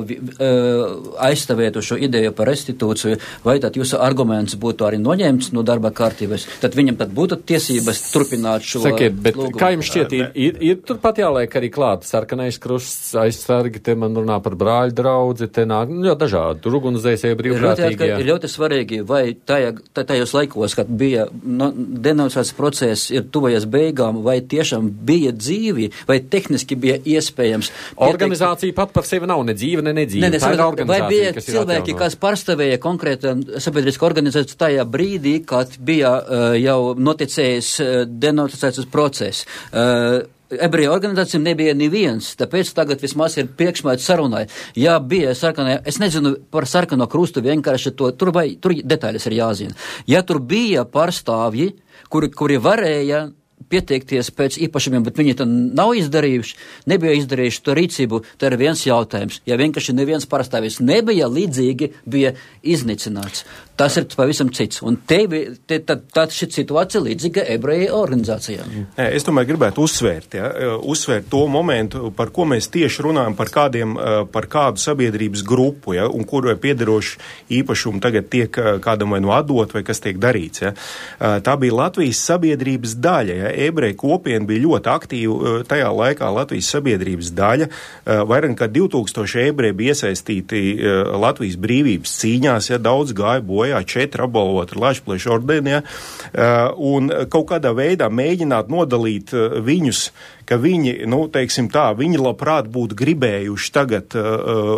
aizstāvētu šo ideju par restitūciju, vai tad jūsu arguments būtu arī noņemts no darba kārtības, tad viņam tad būtu tiesības turpināt šo Sakiet, bet lūgumu. Kā jums šķiet, ir, ir, ir turpat jāliek arī klāt sarkanais krusts, aizsargi, te man runā par brāļu draudzi, te nāk, nu, jau dažādi, tur ugunzēsēji brīvprātīgie. Ir ļoti svarīgi, vai tajā, tajos laikos, kad bija no, denonsācijas process ir tuvojas beigām, vai tiešām bija dzīvi, vai tehniski bija iespējams. Organizācija pat par sevi nav ne dzīve, ne nedzīve. Ne, ne, tā ir organizācija, vai bija kas cilvēki, kas pārstāvēja konkrēta sabiedriska organizācija tajā brīdī, kad bija uh, jau noticējis uh, denonsācijas process. Uh, Ebreju organizācijām nebija neviens, tāpēc tagad vismaz ir priekšmēts sarunai. Jā, bija sarkanā, es nezinu par sarkano krustu vienkārši to, tur, vai, tur detaļas ir jāzina. Ja tur bija pārstāvji, kuri, kuri varēja pieteikties pēc īpašumiem, bet viņi to nav izdarījuši, nebija izdarījuši to rīcību, tā ir viens jautājums. Ja vienkārši neviens pārstāvis nebija līdzīgi, bija iznīcināts. Tas ir pavisam cits. Un te, te, tad, tad šī situācija līdzīga ebreju organizācijām. Es tomēr gribētu uzsvērt, ja, uzsvērt to momentu, par ko mēs tieši runājam, par, kādiem, par kādu sabiedrības grupu, ja, un kuru piederoši īpašumu tagad tiek kādam vai no atdot, vai kas tiek darīts. Ja. Tā bija Latvijas sabiedrības daļa. Ja. Ebreju kopiena bija ļoti aktīva tajā laikā Latvijas sabiedrības daļa. Vairāk kā divi tūkstoši ebreji bija iesaistīti Latvijas brīvības cīņās, ja, daudz gāja bojā. Jā, četri apbalvoti Lašplēša ordenī, ja, un kaut kādā veidā mēģināt nodalīt viņus, ka viņi, nu, teiksim tā, viņi labprāt būtu gribējuši tagad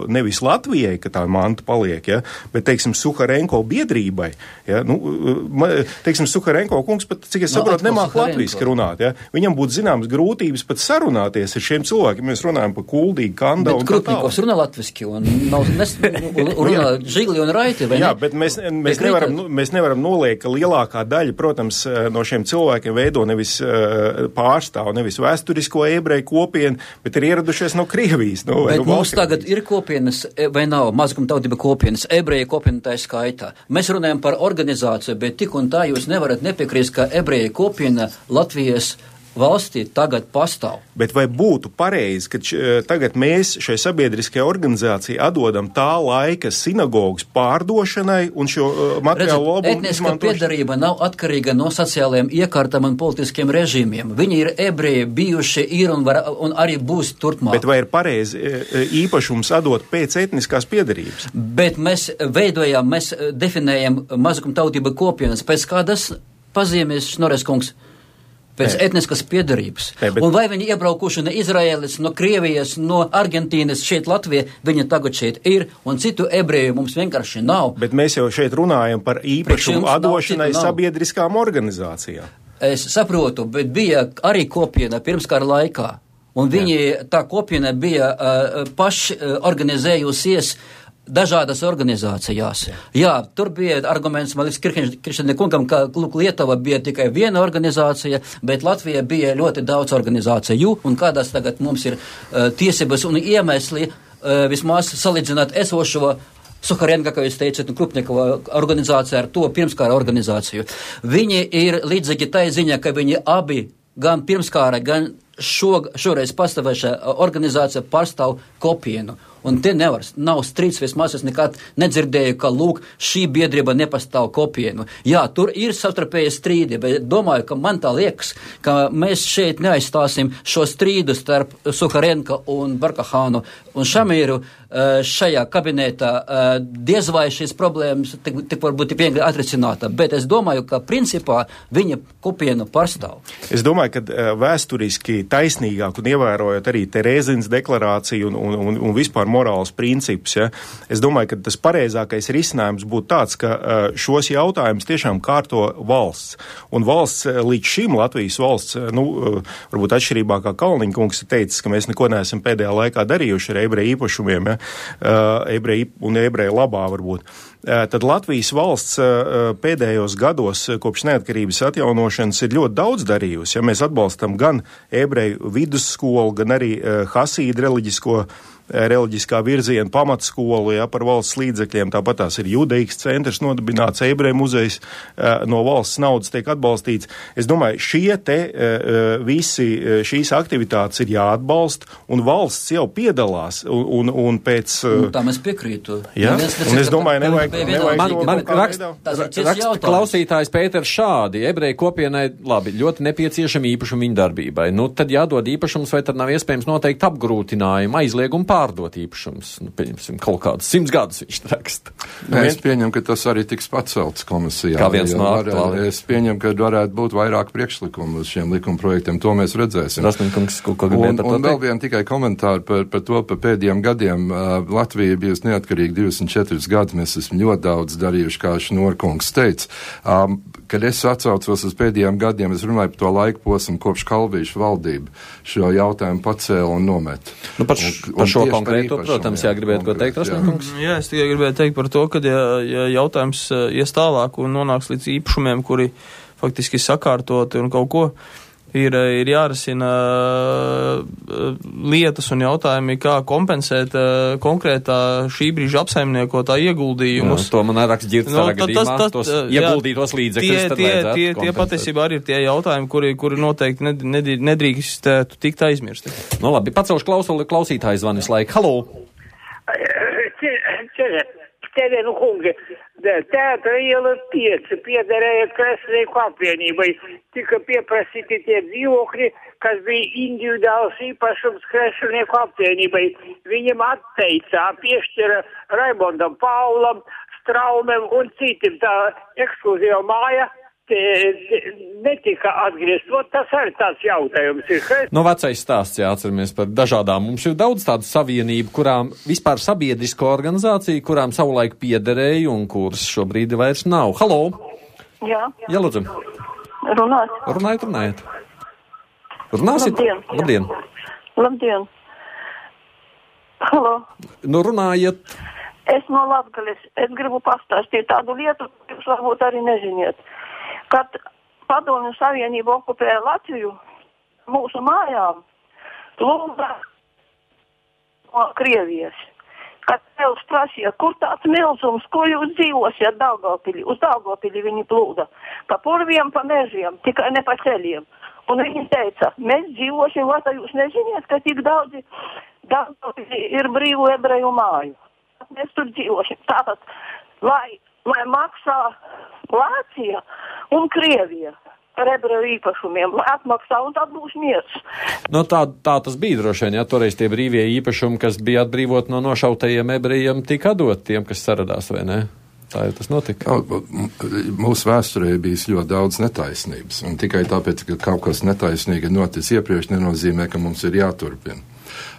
nevis Latvijai, ka tā manta paliek, ja, bet, teiksim, Suharenko biedrībai, ja, nu, teiksim, Suharenko kungs pat, cik es saprotu, no, nemāk latviski runāt, ja, viņam būtu zināmas grūtības pat sarunāties ar šiem cilvēkiem, mēs runājam par Kuldīgu, Kanda un tā tālāk. Bet Krupnikovs runā latviski un nav, nes, runā Žigli un Raiti, vai ne? Jā, bet mēs, mēs, nevaram, mēs nevaram noliekt, ka lielākā daļa, protams, no šiem cilvēkiem veido nevis pārstāv, nevis vēsturisko ebreju kopienu, bet ir ieradušies no Krievijas. No, bet no mums tagad ir kopienas, vai nav mazgumtautība kopienas, ebreju kopiena tā skaitā. Mēs runājam par organizāciju, bet tik un tā jūs nevarat nepiekrist, ka ebreju kopiena Latvijas valstī tagad pastāv. Bet vai būtu pareizi, ka š, tagad mēs šai sabiedriskajai organizācijai atdodam tā laika sinagogas pārdošanai un šo uh, materiālu labumu etniska izmantošanai? piedarība nav atkarīga no sociālajiem iekārtam un politiskiem režīmiem. Viņi ir ebreji, bijuši ir un, var, un arī būs turpmāk. Bet vai ir pareizi īpašums atdot pēc etniskās piedarības? Bet mēs veidojam, mēs definējam mazākumtautību kopienas pēc kādas pazīmes, Šnorres kungs? Pēc Nē. etniskas piedarības. Nē, bet... Un vai viņi iebraukuši no Izraēlas, no Krievijas, no Argentīnas, šeit Latvija, viņi tagad šeit ir, un citu ebreju mums vienkārši nav. Bet mēs jau šeit runājam par īpašumu atdošanai nav, sabiedriskām organizācijām. Es saprotu, bet bija arī kopiena pirmskara laikā, un viņi, Jā. tā kopiena bija uh, paši uh, organizējusies dažādas organizācijās. Jā. Jā, tur bija arguments, man liekas, Krišņa kungam, ka lūk, Lietuva bija tikai viena organizācija, bet Latvija bija ļoti daudz organizāciju, un kādās tagad mums ir uh, tiesības un iemesli uh, vismaz salīdzināt esošo Suharenka, kā jūs teicat, un Krupnikova organizācija ar to pirmskara organizāciju. Viņi ir līdzīgi tai ziņā, ka viņi abi, gan pirmskara, gan šo, šoreiz pastāvēšā organizācija pārstāv kopienu. Un te nevar, nav strīds, vismaz es nekad nedzirdēju, ka, lūk, šī biedrība nepastāv kopienu. Jā, tur ir savstarpēji strīdi, bet domāju, ka man tā liekas, ka mēs šeit neaizstāsim šo strīdu starp Suharenka un Barkahānu un Šamīru šajā kabinetā. Diez vai šīs problēmas tik, tik varbūt tik viegli atrisināta, bet es domāju, ka principā viņa kopienu pārstāv. Es domāju, ka vēsturiski taisnīgāk un ievērojot arī Terēzines deklarāciju un, un, un, un vispār morāls princips, ja, es domāju, ka tas pareizākais risinājums būtu tāds, ka šos jautājumus tiešām kārto valsts. Un valsts līdz šim, Latvijas valsts, nu, varbūt atšķirībā kā Kalniņa kungs teicis, ka mēs neko neesam pēdējā laikā darījuši ar ebreju īpašumiem, ja, ebreju un ebreju labā varbūt. Tad Latvijas valsts pēdējos gados kopš neatkarības atjaunošanas ir ļoti daudz darījusi. Ja mēs atbalstam gan ebreju vidusskolu, gan arī hasīdu reliģisko reliģiskā virziena pamatskolu, ja, par valsts līdzekļiem, tāpat tās ir Judeikas centrs nodibināts, ebreju muzejs no valsts naudas tiek atbalstīts. Es domāju, šie te visi šīs aktivitātes ir jāatbalsta, un valsts jau piedalās, un, un, un pēc... Nu, tā mēs piekrītu. Ja? Un es domāju, nevajag... nevajag man man raksta raksta klausītājs Pēters šādi, ebreju kopienai, labi, ļoti nepieciešami īpašumi viņa darbībai. Nu, tad jādod īpašums, vai tad nav iespējams noteikt apgrūtinājumu, aizliegumu pārdot īpašums. Nu, pieņemsim, kaut kādus simts gadus viņš raksta. Ja, es pieņemu, ka tas arī tiks pacelts komisijā. Kā viens no aktuāliem. Es pieņemu, ka varētu būt vairāk priekšlikumu uz šiem likuma projektiem. To mēs redzēsim. Rasminkungs, ko, ko un, un vēl vien tikai komentāri par, par to, par pēdējiem gadiem. Uh, Latvija bijusi neatkarīga divdesmit četrus gadus. Mēs esam ļoti daudz darījuši, kā Šnorkungs teica. Um, kad es atsaucos uz pēdējiem gadiem, es runāju par to laiku posmu, kopš Kalvīša valdība šo jautājumu pacēla un nomet. Nu, par, š, par šo konkrēto, protams, jā, gribētu ko teikt, Rasminkungs? Jā, es tikai gribētu teikt par to, ka ja, ja jautājums ies tālāk un nonāks līdz īpašumiem, kuri faktiski sakārtoti un kaut ko, ir, ir jārisina lietas un jautājumi, kā kompensēt konkrētā šī brīža apsaimniekotā ieguldījumus. Jā, to man raksts ģirts no, gadījumā, tas, tas, tos jā, ieguldītos līdzekļus, tad tie, vajadzētu tie, kompensēt. tie patiesībā arī ir tie jautājumi, kuri, kuri noteikti ned, ned, nedrīkst tikt aizmirsti. Nu labi, pacelšu klausuli, klausītājs zvanis laika. Halo! Cienījami kungi, Teātra iela pieci piederēja Kreslinieku apvienībai. Tika pieprasīti tie dzīvokļi, kas bija individuāls īpašums Kreslinieku apvienībai. Viņam atteica, piešķira Raimondam Paulam, Straumem un citiem. Tā ekskluzīva māja netika atgriezt. Tas arī tāds jautājums ir. No vecais stāsts jāatceramies par dažādām. Mums ir daudz tādu savienību, kurām vispār sabiedrisko organizāciju, kurām savulaik piederēja un kuras šobrīd vairs nav. Halo! Jā. Jā, lūdzu. Runāt. Runājiet, runājiet. Runāsiet? Labdien. Labdien. Labdien. Halo. Nu, runājiet. Es no Latgales. Es gribu pastāstīt tādu lietu, jūs varbūt arī neziniet. Kad Padomju Savienība okupēja Latviju, mūsu mājām plūda no Krievijas. Kad Pēls prasīja, kur tāds milzums, ko jūs dzīvosiet Daugavpilī? Uz Daugavpilī viņi plūda. Pa purviem, pa mežiem, tikai ne pa ceļiem. Un viņi teica, mēs dzīvošim, vai tā jūs neziniet, ka tik daudzi, daudzi ir brīvu ebreju māju. Mēs tur dzīvošim. Tātad, lai, lai maksā Vācija un Krievija par ebreju īpašumiem, lai atmaksā un tad būs miers. No tā, tā tas bija droši vien, ja toreiz tie brīvie īpašumi, kas bija atbrīvot no nošautajiem ebrejiem, tika atdot tiem, kas saradās, vai ne? Tā jau tas notika. Mūsu vēsturē bijis ļoti daudz netaisnības, un tikai tāpēc, ka kaut kas netaisnīgi noticis iepriekš, nenozīmē, ka mums ir jāturpina.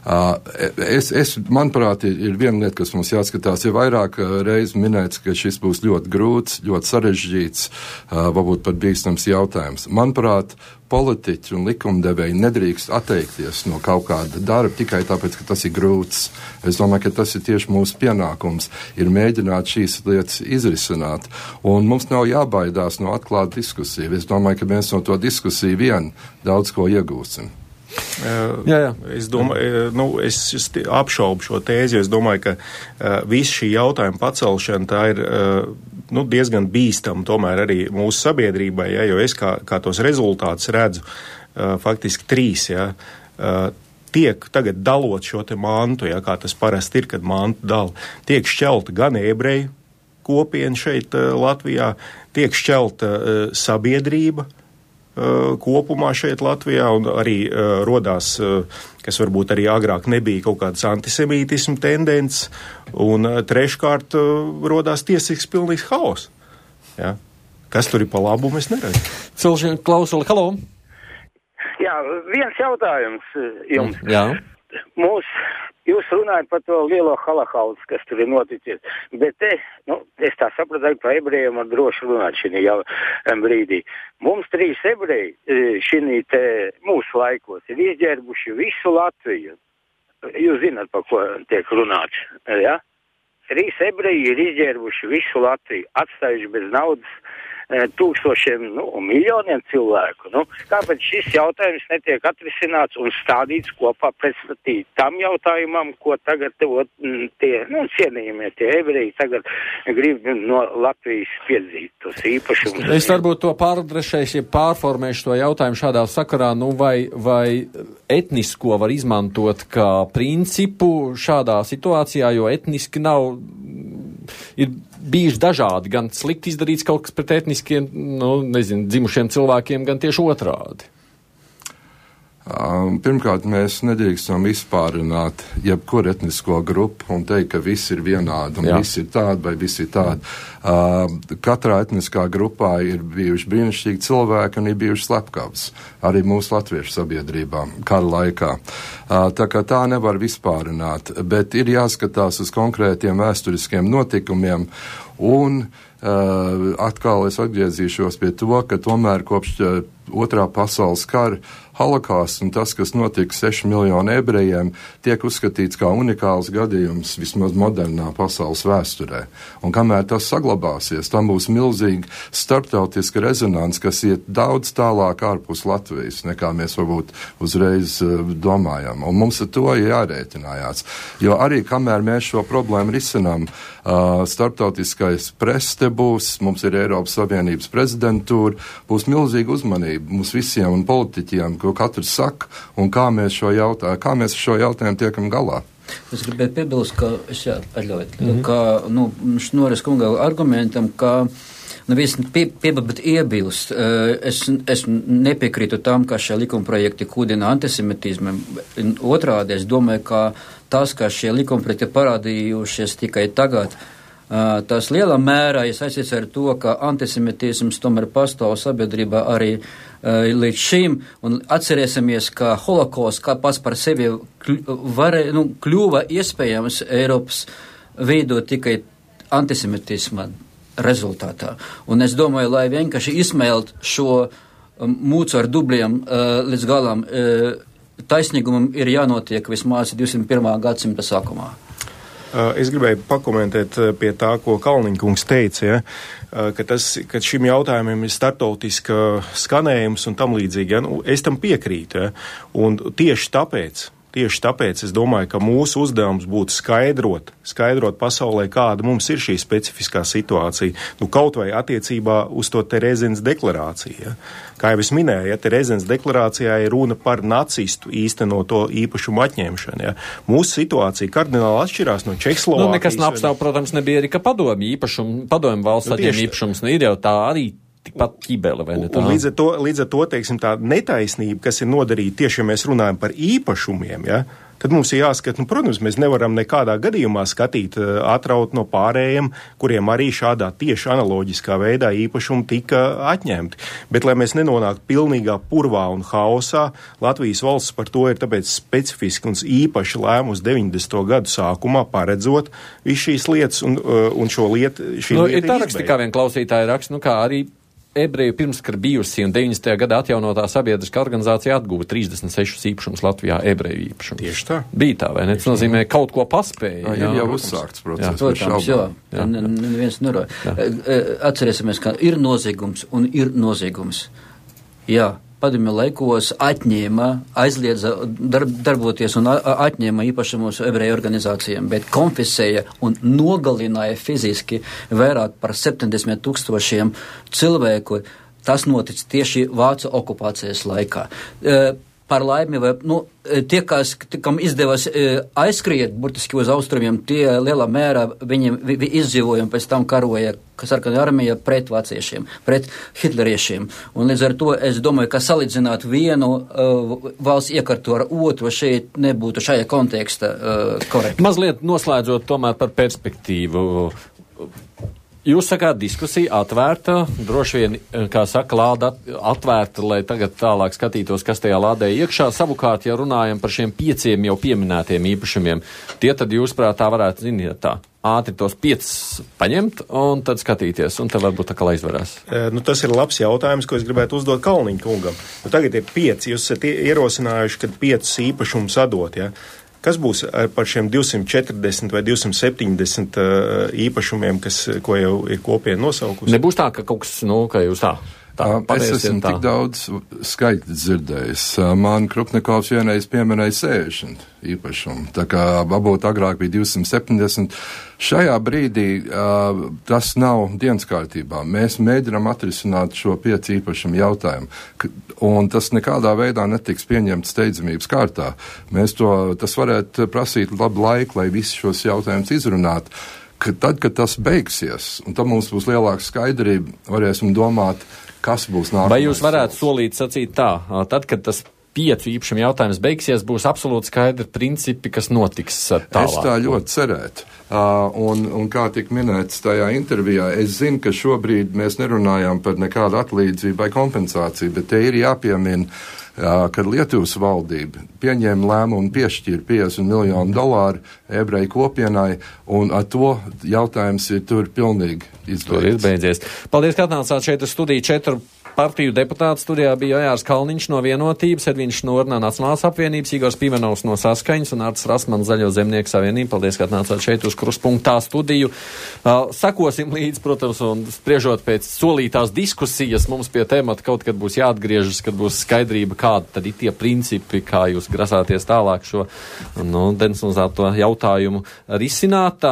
Uh, es, es, manuprāt, ir, ir viena lieta, kas mums jāskatās, ir vairāk reiz minēts, ka šis būs ļoti grūts, ļoti sarežģīts, uh, varbūt pat bīstams jautājums. Manuprāt, politiķi un likumdevēji nedrīkst atteikties no kaut kāda darba tikai tāpēc, ka tas ir grūts. Es domāju, ka tas ir tieši mūsu pienākums, ir mēģināt šīs lietas izrisināt. Un mums nav jābaidās no atklāta diskusija. Es domāju, ka mēs no to diskusiju vien daudz ko iegūsim. Uh, jā, jā. Es domāju, nu, es, es apšaubu šo tēzi, jo es domāju, ka uh, viss šī jautājuma pacelšana tā ir uh, nu, diezgan bīstama tomēr arī mūsu sabiedrībai, ja, jo es kā, kā tos rezultātus redzu, uh, faktiski trīs, ja, uh, tiek tagad dalot šo te mantu, ja, kā tas parasti ir, kad mantu dala, tiek šķelta gan ebreju kopiena šeit uh, Latvijā, tiek šķelta uh, sabiedrība kopumā šeit Latvijā, un arī uh, rodās, uh, kas varbūt arī agrāk nebija kaut kāds antisemītismu tendence, un uh, treškārt uh, rodās tiesīgs pilnīgs haos. Ja? Kas tur ir pa labu, mēs neredam. Cilšana klausuli, halo! Jā, viens jautājums jums. Jā. Mūs, jūs runājat par to lielo holokaustu, kas tur ir noticis, bet te, nu, es tā sapratu, ka par ebrejiem var droši runāt šī jau brīdī. Mums trīs ebreji šī te mūsu laikos ir izģērbuši visu Latviju. Jūs zināt, par ko tiek runāts, ja? Trīs ebreji ir izģērbuši visu Latviju, atstājuši bez naudas tūkstošiem, nu, miljoniem cilvēku. Nu, kāpēc šis jautājums netiek atrisināts un stādīts kopā pretstatīt tam jautājumam, ko tagad tie, nu, cienījamie tie ebreji tagad grib no Latvijas piedzīt tos īpašumus. Es varbūt to pārdrešēšu, ja pārformēšu to jautājumu šādā sakarā, nu, vai, vai etnisko var izmantot kā principu šādā situācijā, jo etniski nav, ir bijuši dažādi, gan slikti izdarīts kaut kas pret etniskiem, nu, nezinu, dzimušiem cilvēkiem, gan tieši otrādi. Um, pirmkārt, mēs nedrīkstam izpārināt jebkuru etnisko grupu un teikt, ka viss ir vienādi un Jā. viss ir tādi vai viss ir tādi. Uh, katrā etniskā grupā ir bijuši brīnišķīgi cilvēki un ir bijuši slepkavas arī mūsu latviešu sabiedrībā kara laikā. Uh, tā kā tā nevar vispārināt, bet ir jāskatās uz konkrētiem vēsturiskiem notikumiem un uh, atkal es atgriezīšos pie to, ka tomēr kopš uh, otrā pasaules kara holokausts un tas, kas notika seši miljoni ebrejiem, tiek uzskatīts kā unikāls gadījums vismaz modernā pasaules vēsturē. Un kamēr tas saglabāsies, tam būs milzīga starptautiska rezonance, kas iet daudz tālāk ārpus Latvijas, nekā mēs varbūt uzreiz uh, domājam. Un mums ar to ir jārēķinājās. Jo arī kamēr mēs šo problēmu risinām, uh, starptautiskais press te būs, mums ir Eiropas Savienības prezidentūra, būs milzīga uzmanība mums visiem un politiķiem, ko katrs saka, un kā mēs šo jautājumu, kā mēs šo jautājumu tiekam galā. Es gribēju piebilst, ka, es jā, atļaujot, mm-hmm. ka, nu, Šnoras kunga argumentam, ka, nu, viss pie, piebilst iebilst. Es, es nepiekrītu tam, ka šie likumprojekti kūdina antisemitismu. Otrādi, es domāju, ka tas, ka šie likumprojekti parādījušies tikai tagad, tas lielā mērā ir saistīts ar to, ka antisemitisms tomēr pastāv sabiedrībā arī uh, līdz šim, un atcerēsimies, ka holokausts kā pats par sevi varē, nu, kļuva iespējams Eiropas veidot tikai antisemitisma rezultātā. Un es domāju, lai vienkārši izsmēlt šo um, mūcu ar dubliem uh, līdz galam, uh, taisnīgumam ir jānotiek vismaz divdesmit pirmā gadsimta sākumā. Es gribēju pakomentēt pie tā, ko Kalniņkungs teica, ja, ka, tas, ka šim jautājumam ir starptautiska skanējums un tam līdzīgi. Ja. Nu, es tam piekrītu. Ja. Un tieši tāpēc, Tieši tāpēc es domāju, ka mūsu uzdevums būtu skaidrot, skaidrot pasaulē, kāda mums ir šī specifiskā situācija. Nu, kaut vai attiecībā uz to Terezenes deklarāciju. Ja. Kā jau es minēju, ja, Terezenes deklarācijā ir runa par nacistu īstenoto īpašumu atņemšanu. Ja. Mūsu situācija kardināli atšķirās no Čehoslovākijas. Nu, nekas neapstāv, protams, nebija arī, ka padomju īpašumu, padomju valsts nu, atņem īpašums, nu, ir jau tā arī tikpat ķibele, vai ne tā? Un līdz ar to, līdz ar to, teiksim, tā netaisnība, kas ir nodarīta tieši, ja mēs runājam par īpašumiem, ja, tad mums ir jāskat, nu, protams, mēs nevaram nekādā gadījumā skatīt uh, atraut no pārējiem, kuriem arī šādā tieši analoģiskā veidā īpašumi tika atņemti. Bet, lai mēs nenonāktu pilnīgā purvā un haosā, Latvijas valsts par to ir tāpēc specifiski un īpaši lēmus deviņdesmito gadu sākumā paredzot visu šīs lietas un, uh, un šo lietu. Nu, ir tā raksti, kā vien klausītāji raksta, nu kā arī ebreju pirmskar bijusi un deviņdesmitajā gadā atjaunotā sabiedriskā organizācija atguva trīsdesmit sešus īpašumus Latvijā, ebreju īpašumus. Tieši tā. Bija tā, vai ne? Tas nozīmē, kaut ko paspēja. Jā, jau uzsākts process. Protams, jā. jā. Neviens nerā. Atcerēsimies, ka ir noziegums un ir noziegums. Jā. Padomju laikos atņēma, aizliedza darb, darboties un atņēma īpašumus ebreju organizācijām, bet konfisēja un nogalināja fiziski vairāk par septiņdesmit tūkstošiem cilvēku. Tas notic tieši Vācu okupācijas laikā. Par laimi, vai, nu, tie, kas, kam izdevās aizskriet burtiski uz austrumiem, tie lielā mērā viņiem vi, vi izdzīvojumi pēc tam karoja, kas sarkanā armija pret vāciešiem, pret hitleriešiem. Un līdz ar to es domāju, ka salīdzināt vienu uh, valsts iekartu ar otru šeit nebūtu šajā konteksta uh, korekti. Mazliet noslēdzot tomēr par perspektīvu. Jūs sakāt, diskusija atvērta, droši vien, kā saka, lāda atvērta, lai tagad tālāk skatītos, kas tajā lādē iekšā. Savukārt, ja runājam par šiem pieciem jau pieminētiem īpašumiem, tie tad jūs prātā varētu, ziniet, tā ātri tos piecus paņemt un tad skatīties, un tad varbūt tā kā izvarās. E, nu, tas ir labs jautājums, ko es gribētu uzdot Kalniņa kungam. Nu, tagad ir pieci, jūs esat ierosinājuši, kad piecus īpašumus atdot, ja? Kas būs par šiem divsimt četrdesmit vai divsimt septiņdesmit uh, īpašumiem, kas, ko jau ir kopiena nosaukusi? Nebūs tā, ka kaut kas, nu, ka jūs tā. tā es esmu tā. Tik daudz skaitļu dzirdējis. Man Krupnikovs vienreiz pieminēja sešdesmit īpašumu, tā kā varbūt agrāk bija divsimt septiņdesmit. Šajā brīdī uh, tas nav dienas kārtībā. Mēs mēģinām atrisināt šo pieci īpašumu jautājumu, un tas nekādā veidā netiks pieņemts steidzamības kārtā. Mēs to, tas varētu prasīt labu laiku, lai visi šos jautājumus izrunātu. Ka tad, kad tas beigsies, un tad mums būs lielāka skaidrība, varēsim domāt, kas būs nākamais. Vai jūs varētu solīt sacīt tā, tad, kad tas piecu īpašumu jautājums beigsies, būs absolūti skaidri principi, kas notiks tālāk? Es tā ļoti cerētu. Uh, un, un kā tika minēts tajā intervijā, es zinu, ka šobrīd mēs nerunājam par nekādu atlīdzību vai kompensāciju, bet te ir jāpiemina, uh, kad Lietuvas valdība pieņēma lēmumu piešķīra piecdesmit miljonu dolāru ebreju kopienai, un ar to jautājums ir tur pilnīgi izbeigts. Tur ir beidzies. Paldies, ka atnācāt šeit uz studiju. Četru partiju deputātu studijā bija Jārs Kalniņš no Vienotības, Edvīns Šnorna no Nacionālās apvienības, Igors Pimenovs no Saskaņas un Arts Rasmans Zaļo zemnieku savienību. Paldies, ka atnācāt šeit uz Kruspunktā studiju. Uh, sakosim līdz, protams, un spriežot pēc solītās diskusijas, mums pie temata kaut kad būs jāatgriežas, kad būs skaidrība, kādi tad ir tie principi, kā jūs grasāties tālāk šo, nu, decentralizēto jautājumu risināt.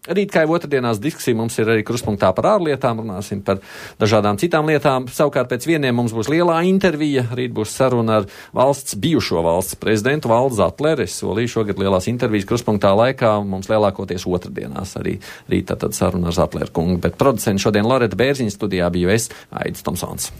Rīt, kā jau otrdienās diskusija, mums ir arī Kruspunktā par ārlietām, runāsim par dažādām citām lietām. Savukārt pēc vieniem mums būs lielā intervija, rīt būs saruna ar valsts, bijušo valsts prezidentu Valdu Zatleri. Es solīju šogad lielās intervijas Kruspunktā laikā, mums lielākoties otrdienās arī rīt tad saruna ar Zatleri kungu. Bet producents šodien Loreta Bērziņa studijā biju es, Aidis Tomsons.